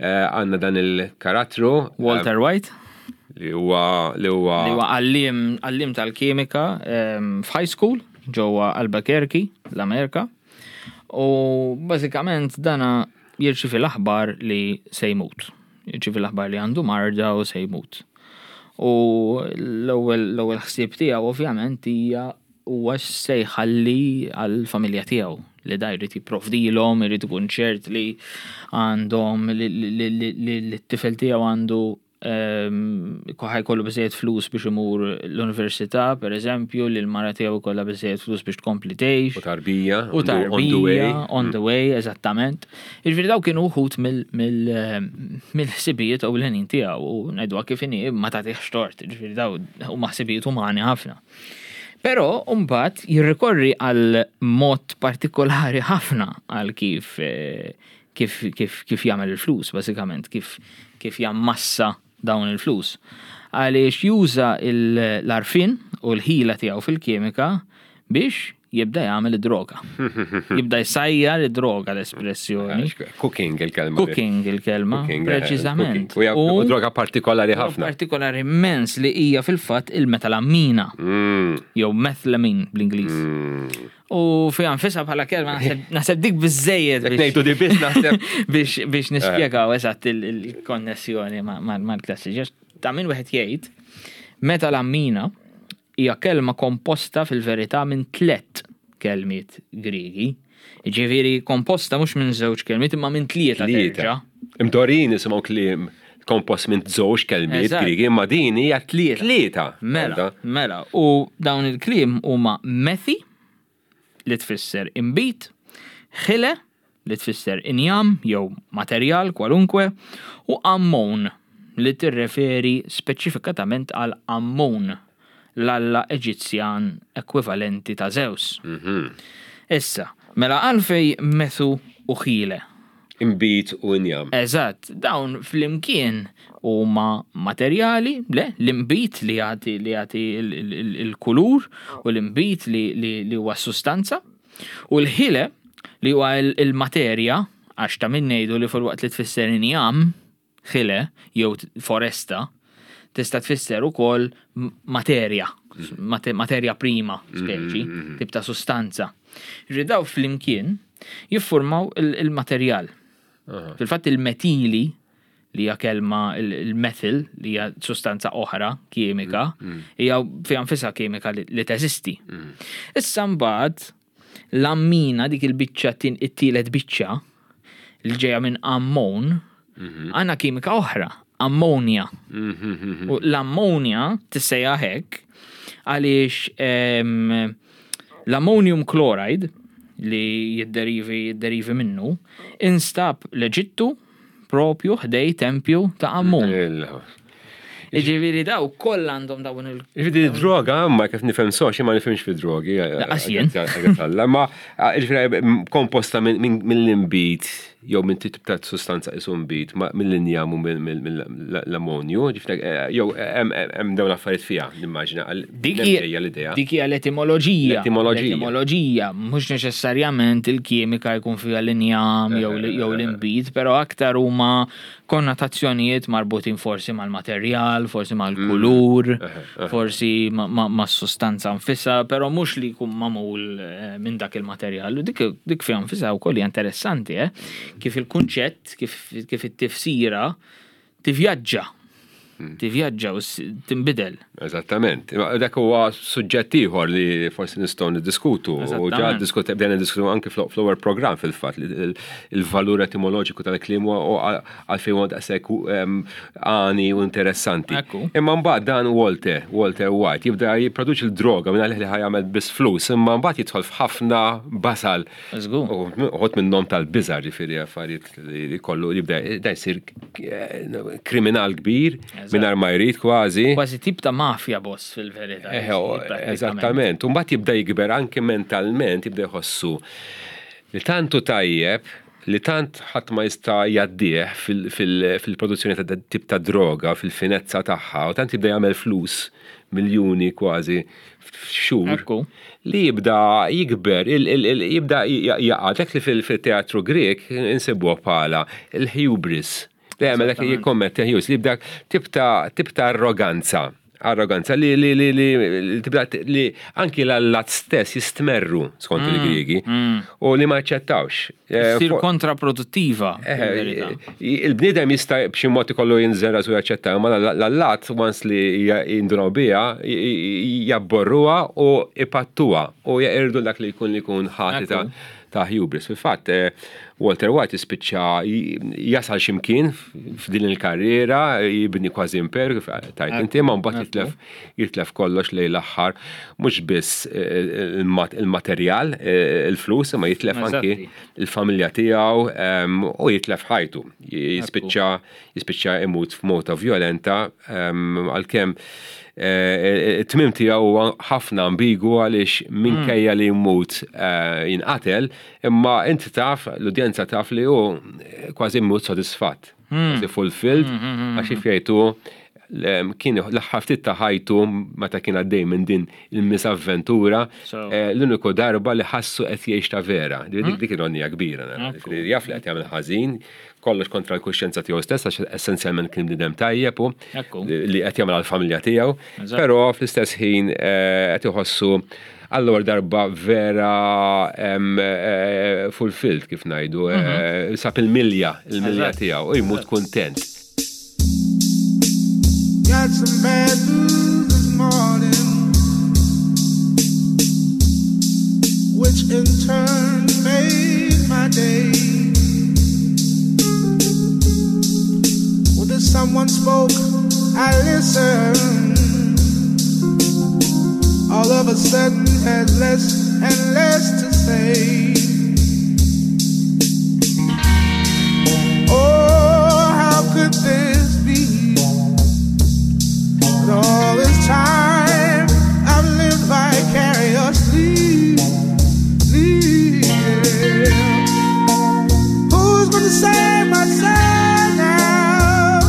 Għandna dan il-karattru. Walter White. Li huwa Li huwa għallim tal-kimika f'high school ġewwa Albuquerque, l-Amerika. U bażikament dana jirċivi l-aħbar li se jmut. Jirċivi l-aħbar li għandu marda u se jmut. U l-ewwel ħsieb tiegħu ovvjament hija huwa se jħalli għall-familja tiegħu li da jrid jipprovdilhom, irid ikun ċert li għandhom li t-tifel tiegħu għandu ħa jkollu biżejjed flus biex imur l-università, per eżempju, li l-mara tiegħu jkollha biżejjed flus biex tkompli tgħix. U tarbija. U tarbija. On the way. On the way, eżattament. Jiġifieri daw kienu uħud mill-ħsibijiet ewlenin tiegħu u ngħiduha kif inhi ma tagħtihx tort, jiġifieri daw huma ħsibijiet umani ħafna. Però mbagħad jirrikorri għal mod partikolari ħafna għal kif jagħmel il-flus, bażikament, kif jammassa dawn il-flus. Għaliex juża l-għarfien u l-ħila tiegħu fil-kimika. Biex jibda jagħmel id-droga. Jibda jsajjar id-droga l-espressjoni. Cooking il-kelma. Cooking il-kelma, eh, preċiżament. U droga partikolari ħafna. Partikolari immens li hija fil-fatt il-metalammina. Jew methylamine bl-Ingliż. U fiha nfisha bħala kelma naħseb dik biżejjed. Ngħidu di biss naħseb. Biex nispjegaw eżatt il-konnessjoni mal-klassiċi. Ta' min wieħed jgħid, metalammina hija kelma komposta fil-verità minn tlett kelmiet Griegi. Jiġifieri komposta mhux minn żewġ kelmiet imma minn tlieta terġa'. Imdorin nisimgħu kliem kompost minn żewġ kelmiet Griegi, imma din hija tlieta. Mela, mela. U dawn il-kliem huma methi li tfisser inbid, ħile li tfisser injam jew materjal kwalunkwe, u Ammon, li tirreferi speċifikatament għal Amun, l-alla Eġizzjan ekwivalenti ta' Żews. Issa, mela għalfejn Methu u Chile? Inbid u injam. Eżatt, dawn flimkien huma materjali, le, l-inbid li jagħti li jagħti l-kulur u l-inbid li huwa s-sustanza. U l-ħile li huwa l-materja, għax ta' min ngħidu li filwaqt li tfisser injam, ħile, jew foresta, tista' tfisser ukoll materja, materja prima, speċi, tip ta' sustanza. Ġifieri daw flimkien jiffurmaw il-materjal. Fil-fatt il-metili li hija kelma il-methyl li hija sustanza oħra kimika, hija fiha nfisha kimika li teżisti. Issa mbagħad l-ammina dik il-biċċa it-tielet biċċa li ġejja minn ammon, għandna kimika oħra, ammonja. U l-ammonja tissejjaħ hekk għaliex l-ammonium chloride li jidderivi jidderivi minnu instab l-Eġittu propju ħdej tempju ta' Ammon. Jiġifieri daw kollha għandhom dawn il. Jiġifieri droga, ma kif nifhem sox, ma nifhimx fi drogi. Laqas jien. Ma jiġifieri komposta mill-inbid jew minn tip ta' sustanza isu nbid mill-injam u mill-ammonju, eh, jew hemm dawn affarijiet fiha, nimmaġina. Dik hija l-idea. Dik hija l-etimoloġija. L-etimoloġija, mhux neċessarjament il-kimika jkun fiha l-injam jew l-inbid, però aktar huma konnotazzjonijiet marbutin forsi mal-materjal, forsi mal-kulur, mm. forsi mas-sustanza nfisha, però mhux li jkun magħmul eh, minn dak il-materjal. U dik dik fiha nfisha wkoll hija interessanti, eh? Kif il-kunċett, kif it-tifsira tivvjaġġa. Hmm. Tivvjaġġa u tinbidel. Eżattament. Dak huwa suġġett ieħor li forsi nistgħu niddiskutu. U ġa diskut bdejna niddiskutu anke fl-ewwel programm fil-fatt il-valur etimoloġiku tal-kliem u għalfejn huwa daqshekk għani u interessanti. Imma mbagħad dan Walter, Walter White, jibda jipproduċi l-droga minn għalih li ħajamel biss flus, imma mbagħad jidħol f'ħafna basal. Uħud minnhom tal-biża' ġifieri affarijiet li kollu jibda da jsir eh, kriminal kbir mingħajr ma jrid kważi. Kważi tip ta' mafja boss fil-verità. Eh, oh, eżattament. U mbagħad jibda jikber anke mentalment jibda jħossu li tantu tajjeb li tant ħadd ma jista' jgħaddih fil-produzzjoni ta' tip ta' droga, fil-finezza tagħha, u tant jibda jagħmel flus miljuni kważi f'xhur li jibda jikber, jibda jaqa' dak li fil-teatru Grek insibuh bħala il-hubris. Li għamel dak li jikkommetti hubris, li jibda tip ta' arroganza. Arroganza li li li li tibda li anki l-allat stess jistmerru skont mm, il-Griegi mm. u li ma jaċċettawx. Eh, Sir kontraproduttiva. Eh, il-bniedem jista' b'xi mod ikollu jinżel rasu jaċċetta, ma l-allat once li jindunaw biha jabborruha u ipattuha u jeqirdu dak li jkun li jkun ħati ta' ta' hubris. Fil-fatt, eh, Walter White jispiċċa jasal ximkien f'din il-karriera, jibni kważi imperu, kif tajt inti, ma mbagħad jitlef jitlef kollox lejn l-aħħar, mhux biss eh, il-materjal, eh, il-flus, imma jitlef anki il-familja tiegħu ehm, u jitlef ħajtu. Jispiċċa jispiċċa imut f'mota vjolenta ehm, għalkemm eh, it-tmim tiegħu huwa ħafna ambigu għaliex minkejja li jmut jinqatel, imma inti taf, l-udjenza taf li hu kważi jmut sodisfatt, kważi fulfilled, għax kif jgħidu. Kien l-aħħar ftit ta' ħajtu meta kien għaddej minn din il-misavventura, eh, l-uniku darba li ħassu qed jgħix ta' vera. Dik hmm? dik ironija kbira, jaf li qed jagħmel ħażin, kollox kontra l-kuxjenza tiegħu stess għax essenzjalment kien bniedem tajjeb u li qed jagħmel għall-familja tiegħu, però fl-istess ħin eh, qed iħossu għall-ewwel darba vera eh, fulfilled kif ngħidu, mhm. sab il-milja, il-milja tiegħu u jmut kuntent. Got some bad news this morning, which in turn made my day. Well, if someone spoke, I listened. All of a sudden, had less and less to say. Oh, how could this be? But all this time I've lived vicariously. Yeah. Who's gonna save my soul now?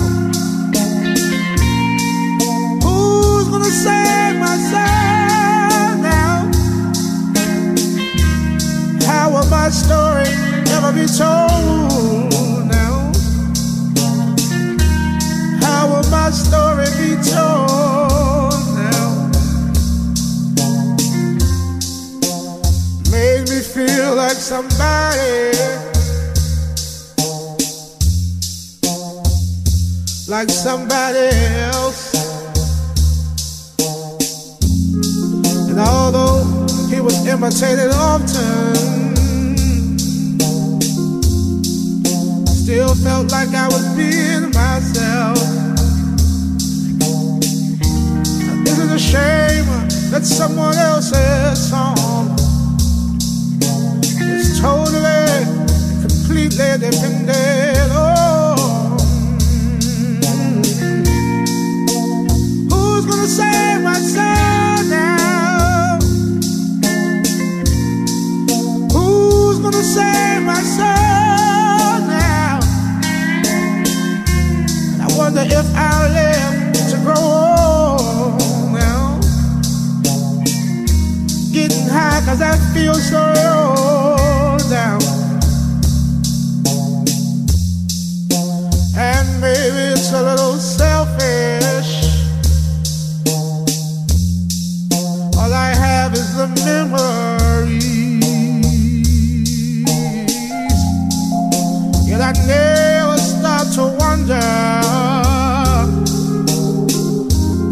Who's gonna save my soul now? How will my story ever be told now? How will my story be told now? Made me feel like somebody. Like somebody else. And although he was imitated often, still felt like I was being myself. Is it a shame that someone else's song is totally, completely dependent on? Who's gonna save my soul now? Who's gonna save my soul now? I wonder if I'll live to grow old now. Getting high cause I feel so low down. And maybe it's a little selfish. All I have is the memories. Yet I never stop to wonder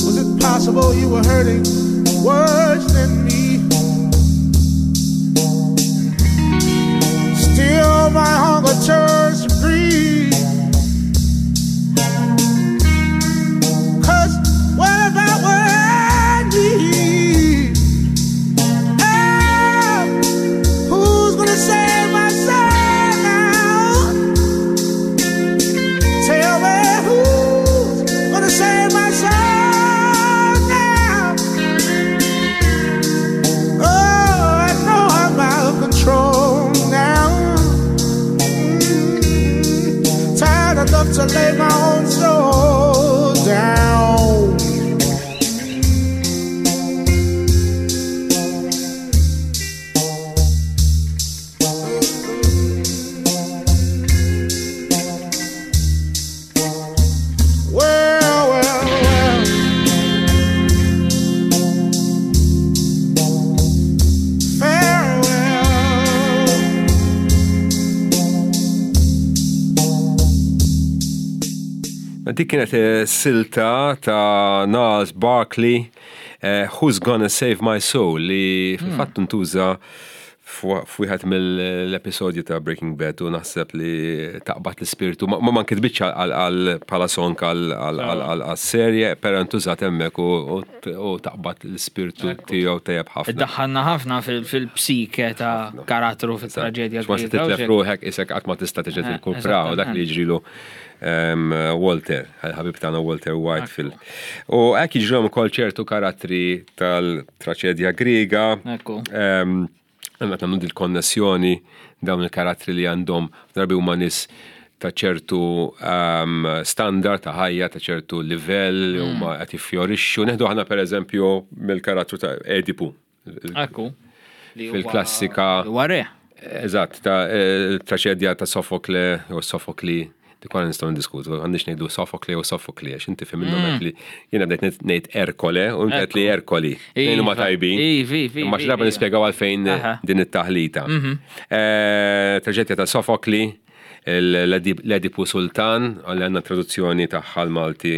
Was it possible you were hurting worse than me? Still my hunger turns to greed Cause what about what I need? Oh, who's gonna save my soul now? Tell me who's gonna save my soul now? Oh, I know I'm out of control now. Mm, tired enough to lay my own soul down. Well, well, well. Farewell. Dik kienet eh, silta ta' Nas Barkley, eh, Who's Gonna Save My Soul, li fil-fatt ntuża f'wieħed mill-episodji ta' Breaking Bad u naħseb li taqbad l-ispirtu. Ma ma nkitbitx għal bħala song għal serje, però ntużat hemmhekk u taqbad l-ispirtu tiegħu tajjeb ħafna. Daħħalna ħafna fil-psike ta' karattru fil-traġedja. Ma se titlef ruħek isek qatt ma tista' tiġi tirkupra u dak li jiġrilu Walter, ħabib tagħna Walter White fil. U hekk jiġrilhom ukoll ċertu karattri tal-traġedja Griega. Għanna nagħmlu dil-konnessjoni dawn il-karattri li għandhom drabi huma nies ta' ċertu standard ta' ħajja, ta' ċertu livell li huma qed jiffjorixxu. Neħdu aħna pereżempju mill-karattru ta' Edipu. Ekku. Fil-klassika. Huwa re. Eżatt, ta' traċedja ta' Sofokle jew Sofokli. Dik wara nistgħu ndiskutu, għandix ngħidu Sofokle jew Sofokli, għax inti fim minnhom li jiena bdejt ngħid Erkole u inti li Erkoli. Nejn huma tajbin. Imma xi darba nispjegaw għalfejn din it-taħlita. Traġedja ta' Sofokli, l-Edipu Sultan, li għandna traduzzjoni tagħha l-Malti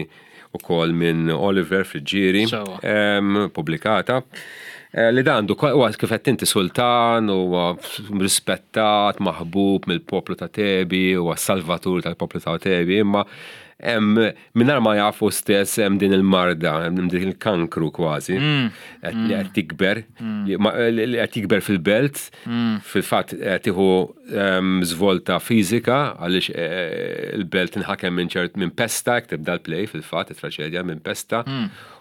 ukoll minn Oliver Friggieri, pubblikata. Eh, li dan għandu huwa kif qed inti sultan huwa rispettat, maħbub mill-poplu ta' Tebi, huwa salvatur tal-poplu ta' Tebi, imma hemm mingħajr ma jafu stess hemm din il-marda, hemm din il-kankru kważi, li qed tikber, li qed jikber fil-belt, fil-fatt qed tieħu żvolta fiżika għaliex eh, il-belt inħakem minn ċert minn pesta, jekk tibda l-play fil-fatt it-traċedja minn pesta.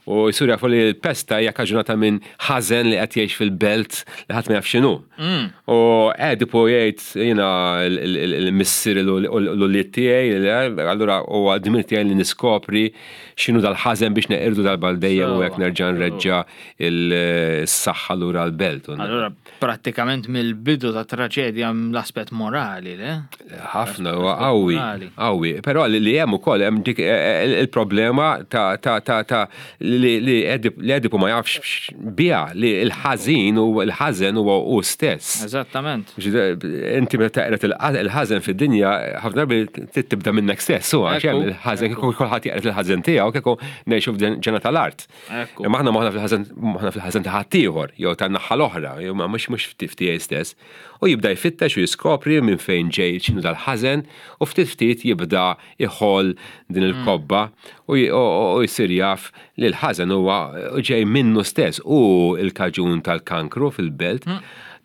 U jsir jafu li l-pesta hija kaġunata minn ħażen li qed jgħix fil-belt li ħadd ma jaf x'inhu. U Edipu jgħid jiena l-missier l-ulied tiegħi, allura huwa dmir tiegħi li niskopri x'inhu dal-ħażen biex neqirdu darba għal dejjem u hekk nerġa' nreġġa' s-saħħa lura l-belt. Allura prattikament mill-bidu ta' traġedja l-aspett morali, le? Ħafna, huwa qawwi, qawwi. Però li hemm ukoll hemm dik eh, eh, il-problema ta' ta' ta' ta' li Edipu ma jafx biha li l-ħażin u l-ħażen huwa hu stess. Eżattament. Inti meta taqret il-ħażen fid-dinja, ħafna drabi tibda minnek stess, u għax hemm il-ħażen kieku kulħadd jaqret il-ħażen tiegħu kieku ngħixu f'ġena tal-art. Imma aħna moħħna fil-ħażen moħħna fil-ħażen ta' ħaddieħor jew tan-naħa l-oħra, jew ma mhux mhux f'tiegħi stess. U jibda jfittex u jiskopri minn fejn ġej x'inhu dal-ħażen u ftit ftit jibda jħoll din il-kobba u jsir jaf li l-ħażen huwa ġej minnu stess hu l-kaġun tal-kankru fil-belt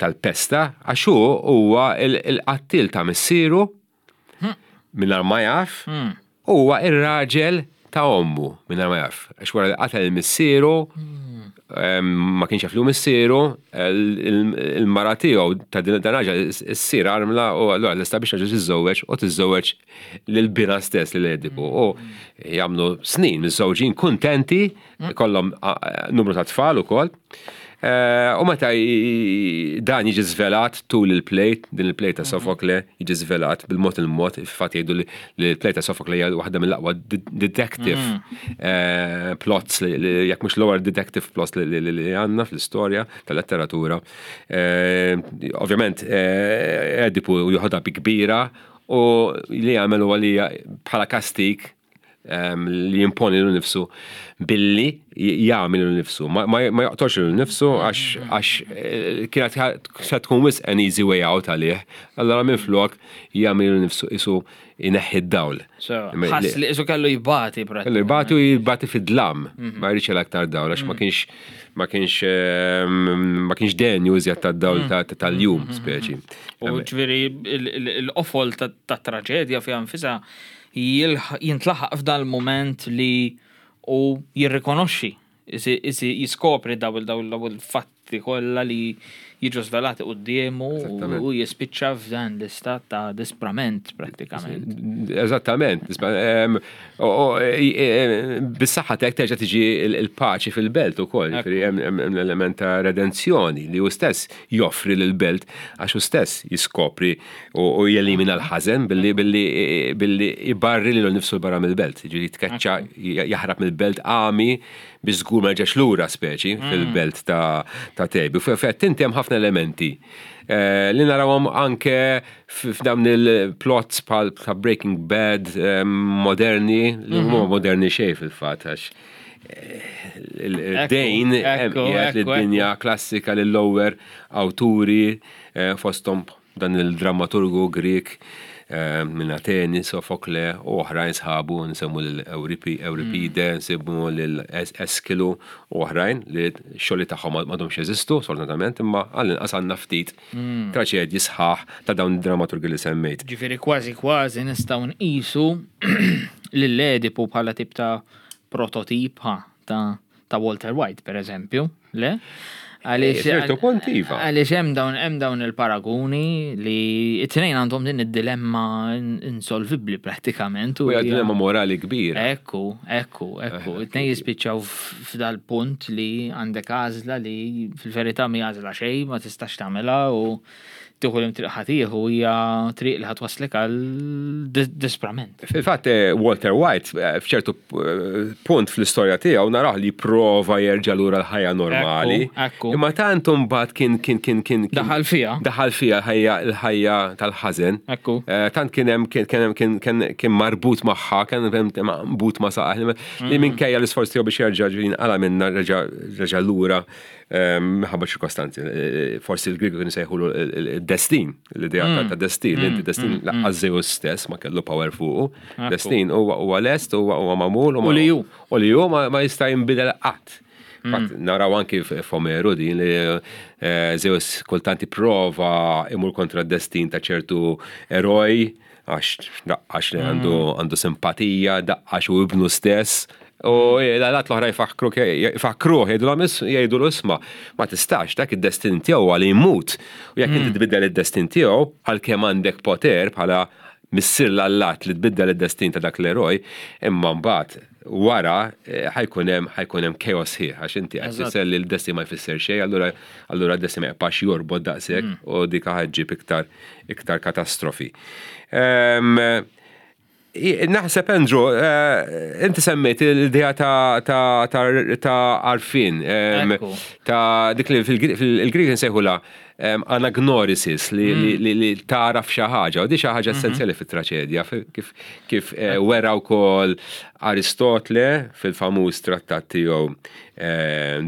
tal-pesta għax hu huwa l-qattiel ta' missieru mingħajr ma jaf, huwa ir-raġel ta' ommu mingħajr ma jaf. Għax wara li qatel il-missieru, ma kienx jaf li hu missieru, il-mara tiegħu ta' din dan raġel issir armla u allura lesta biex raġel tiżżewweġ u tiżżewweġ lil binha stess lil Edipu. U jagħmlu snin miżżewġin kuntenti, kollhom numru ta' tfal ukoll. Eh, u meta dan jiġi żvelat tul il-play, din il-play ta' mhm. Sofokle jiġi żvelat bil-mod il-mod, fatt jgħidu li l-play ta' Sofokle hija waħda mill-aqwa detective mhm. eh, plots li jekk mhux l-ewwel detective plots li għandna fl-istorja tal-letteratura. Eh, ovvjament Edipu joħodha bi kbira u li jagħmel huwa li bħala kastik li jimponi l nifsu billi jagħmel l nifsu. Ma joqtolx l nifsu għax eh, kienet se tkun wisq an easy way out għalih. Allora minn flok jagħmel l nifsu isu jneħħi d-dawl. Ħass li isu kellu jibati Kellu jibati u jibati fid-dlam. Mhm. Ma jridx aktar dawl għax ma mhm. kienx ma kienx ma kienx denju iżjed tad-dawl mhm. tal-jum speċi. U ġifieri l-qofol tat-traġedja fiha nfisha jintlaħaq f'dan il-mument li hu jirrikonoxxi, jiskopri daw il-fatti kollha li jiġu żvelati quddiemu u jispiċċa f'dan l-istat ta' disprament prattikament. Eżattament. Bis-saħħa tiegħek terġa' tiġi l-paċi fil-belt ukoll, hemm l-element ta' redenzjoni li hu stess joffri lill-belt għax hu stess jiskopri u jelimina l-ħażen billi billi billi ibarri lilu nnifsu 'l barra mill-belt, jiġifieri jitkeċċa jaħrab mill-belt għami biex żgur ma jerġax lura speċi fil-belt ta' Tebi. U fil-fatt inti hemm ħafna elementi eh, li narawhom anke f'dawn il-plots bħal ta' Breaking Bad eh, moderni, li huma moderni xejn fil-fatt għax eh, il-dejn qiegħed lid-dinja klassika lill-lower awturi fosthom Dan il-drammaturgu Grieg minn Ateni, Sofokle u oħrajn sħabu, nsemmu lil Ewripide, nsemmu lil Eskilu u oħrajn li x-xogħlijiet tagħhom m'għadhomx jeżistu, sfortunatament, imma għall-inqas għandna ftit traċedji sħaħ ta' dawn id-drammaturgi li semmejt. Ġifieri kważi kważi nistgħu nqisu lil Edipu bħala tip ta' prototip, ha, ta' ta' Walter White, per eżempju, le? Għaliex Ċertu punt iva. Għaliex hemm dawn hemm dawn il-paraguni li it-tnejn għandhom din id-dilemma insolvibbli prattikament. U hija dilemma morali kbira. Ekku, ekku, ekku. It-tnejn jispiċċaw f'dal-punt li għandek għażla li fil-verità mi għażla xejn ma tistax tagħmilha u tieħu l triq ħa tieħu hija triq li ħa twasslek għal disprament. Fil-fatt eh, Walter White eh, f'ċertu eh, punt fl-istorja tiegħu narah li prova jerġa' lura l-ħajja normali. Imma tant imbagħad kien kien kien kien daħal fiha. Daħal fiha l-ħajja l-ħajja tal-ħażen. Ekku. Tant kien hemm kien kien kien kien marbut magħha, kien marbut ma' saqah li mm. minkejja l-isforz tiegħu biex jerġa' jinqala minna reġa' lura Minħabba ċirkostanzi, eh, forsi l-Griegi kienu sejħu l-destin, l-idea mm. ta' destin, li inti mm, destin mm, laqqas Zeus stess ma kellu power fuqu. Destin huwa lest, huwa magħmul. U li ju. U li ju ma jista' jinbidel qatt. Naraw anki f'Omeru din li eh, Zeus kultant prova imur kontra d-destin ta' ċertu eroj, għax daqqax li għandu għandu simpatija, daqqax u ibnu stess. U l-għalat l-oħra jfakkruh, jgħidu l-isma, ma tistax, dak id-destin tiegħu għal jmut. U jekk inti mm. tbiddel id-destin tiegħu, għalkemm għandek poter bħala missier l-allat li tbiddel id-destin ta' dak l-eroj, imma mbagħad wara eh, ħajkun hemm ħajkun hemm chaos ħieħ għax inti qed tfisser li l-destin ma jfisser xejn, allura allura d-destin ma jibqax jorbot daqshekk mm. u dik ħaġġib iktar iktar katastrofi. Ehm, naħseb Andrew, eh, inti semmejt l-idea ta' għarfien, ehm, ta' dik li fil-Grieg nsejħula ehm, anagnorisis li mm. taraf xi ħaġa, u di xi ħaġa mhm. essenzjali fit-traċedja, kif eh, wera wkoll Aristotle fil-famuż trattat tiegħu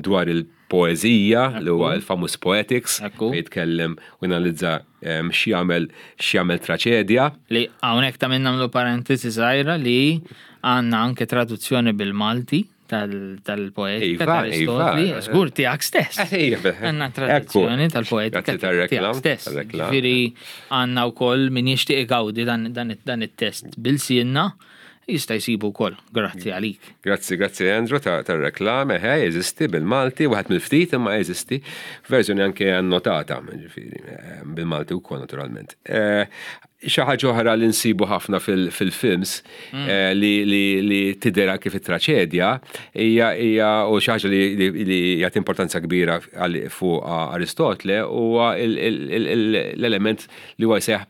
dwar il- poeżija li huwa l-famuż Poetics fejn jitkellem u analizza ehm, x'jagħmel x'jagħmel traċedja. Li hawnhekk ta' minn nagħmlu parentesi żgħira li għandna anke traduzzjoni bil-Malti tal-poetika iva, tal-Aristotli, iva. żgur tiegħek stess. Eh, iva. Għandna traduzzjoni tal-poetika tiegħek stess. Ġifieri għandna wkoll min jixtieq igawdi dan it-test bil-sienna Jista' jsibu wkoll, grazzi għalik. Grazzi, grazzi Andrew tar-reklam, eħe, jeżisti bil-Malti, waħed mill-ftit imma jeżisti, verżjoni anke annotata, ġifieri, eh, bil-Malti wkoll naturalment. Eh, xi ħaġa oħra li nsibu ħafna fil-films mm. eh, li tidher anke fit-traċedja hija hija u xi ħaġa li jagħti importanza kbira fuq Aristotle huwa l-element li huwa jsejjaħ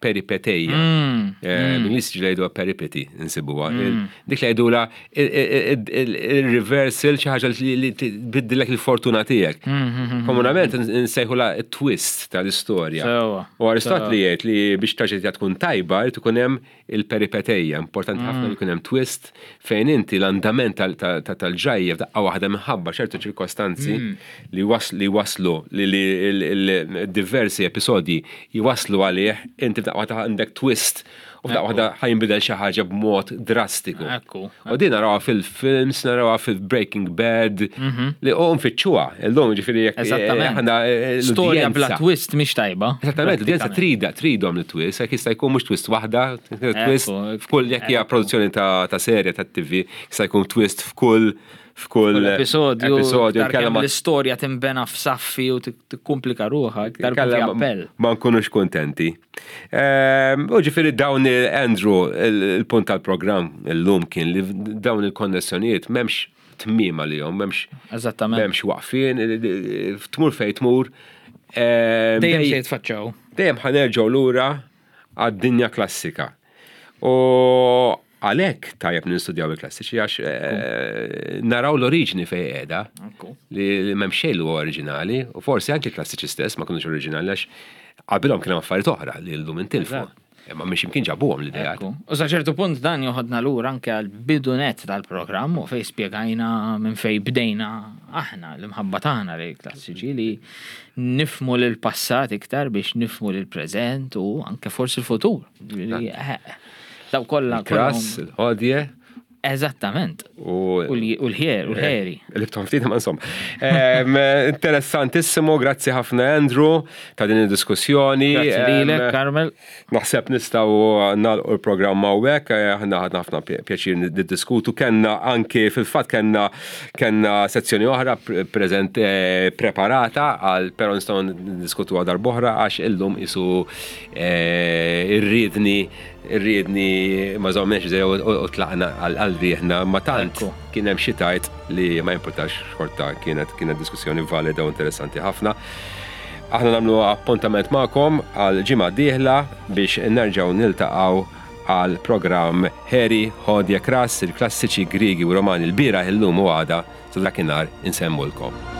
peripeteja. Mm, eh, mm. Bl-Ingliż ġieli jgħiduha peripety insibuha. Mm. Dik li jgħidula il-reversal xi ħaġa li tbiddilek il-fortuna tiegħek. Komunament nsejħula twist tal-istorja. U Aristotli jgħid li biex traġedja tkun tajba jrid ikun hemm il-peripeteja, importanti ħafna li jkun hemm twist fejn inti l-andament tal-ġrajja f'daqqa waħda minħabba ċertu ċirkostanzi mm. li waslu li diversi episodji jwaslu għalih, inti f'daqqa waħda għandek twist u f'daqqa waħda ħajnbidel xi ħaġa b'mod drastiku. U din narawha fil-films, narawha fil-Breaking Bad, mhm. li u nfittxuha illum ġifieri jekk eh, aħna eh, storja bla twist mhix tajba. Eżattament, l-udjenza trida, tridhom li twist, jekk jista' jkun mhux twist waħda, twist f'kull jekk hija produzzjoni ta' serje ta' TV, jista' jkun twist f'kull f'kull episodju. Episodju kellha l-istorja tinbena f'saffi u tikkumplika ruħha iktar appell. Ma nkunux kuntenti. Ehm, u ġifieri dawn Andrew, il-punt tal-programm illum kien li dawn il-konnessjonijiet m'hemmx tmiem għalihom, m'hemmx Eżattament. M'hemmx waqfien, tmur fejn tmur. Ehm, dejjem se jitfaċċaw. Dejjem ħanerġgħu lura għad-dinja klassika. U għalhekk tajjeb nistudjaw il-klassiċi għax eh, naraw l-oriġini fejn qiegħda li m'hemm xejn li huwa oriġinali u forsi anki l-klassiċi stess ma kinux oriġinali għax qabilhom kien hemm affarijiet oħra li llum intilfu. Imma mhix imkien ġabuhom l-ideat. U sa ċertu punt dan joħodna lura anke għal bidu net tal-programm u fejn spjegajna minn fejn bdejna aħna l-imħabba tagħna lejn klassiċi li nifmu lil passat iktar biex nifmu lil preżent u anke forsi l-futur. Eh, daw kollha. Kras, il-ħodje. Eżattament. U l-ħer, u l-ħeri. Libtom ftit ma insomma. Interessantissimu, grazzi ħafna Andrew ta' din id-diskussjoni. Grazzi lilek, Carmel. Naħseb nistgħu nagħlqu l-programm hawnhekk, eh, aħna ħadna ħafna pjaċir niddiskutu, kellna anke fil-fatt kellna kellna sezzjoni oħra preżent eh, preparata għal però nistgħu niddiskutu għal darb'oħra għax illum isu eh, irridni irridni ma żommniex u tlaqna għal rieħna ma tant kien hemm xi tajt li ma jimpurtax xorta kienet kienet diskussjoni valida u interessanti ħafna. Aħna nagħmlu appuntament magħkom għal ġimgħa dieħla biex nerġgħu niltaqgħu għal programm Heri Hodja Kras, il-klassiċi Griegi u Romani l-bieraħ illum u għada sa dakinhar insemmulkom.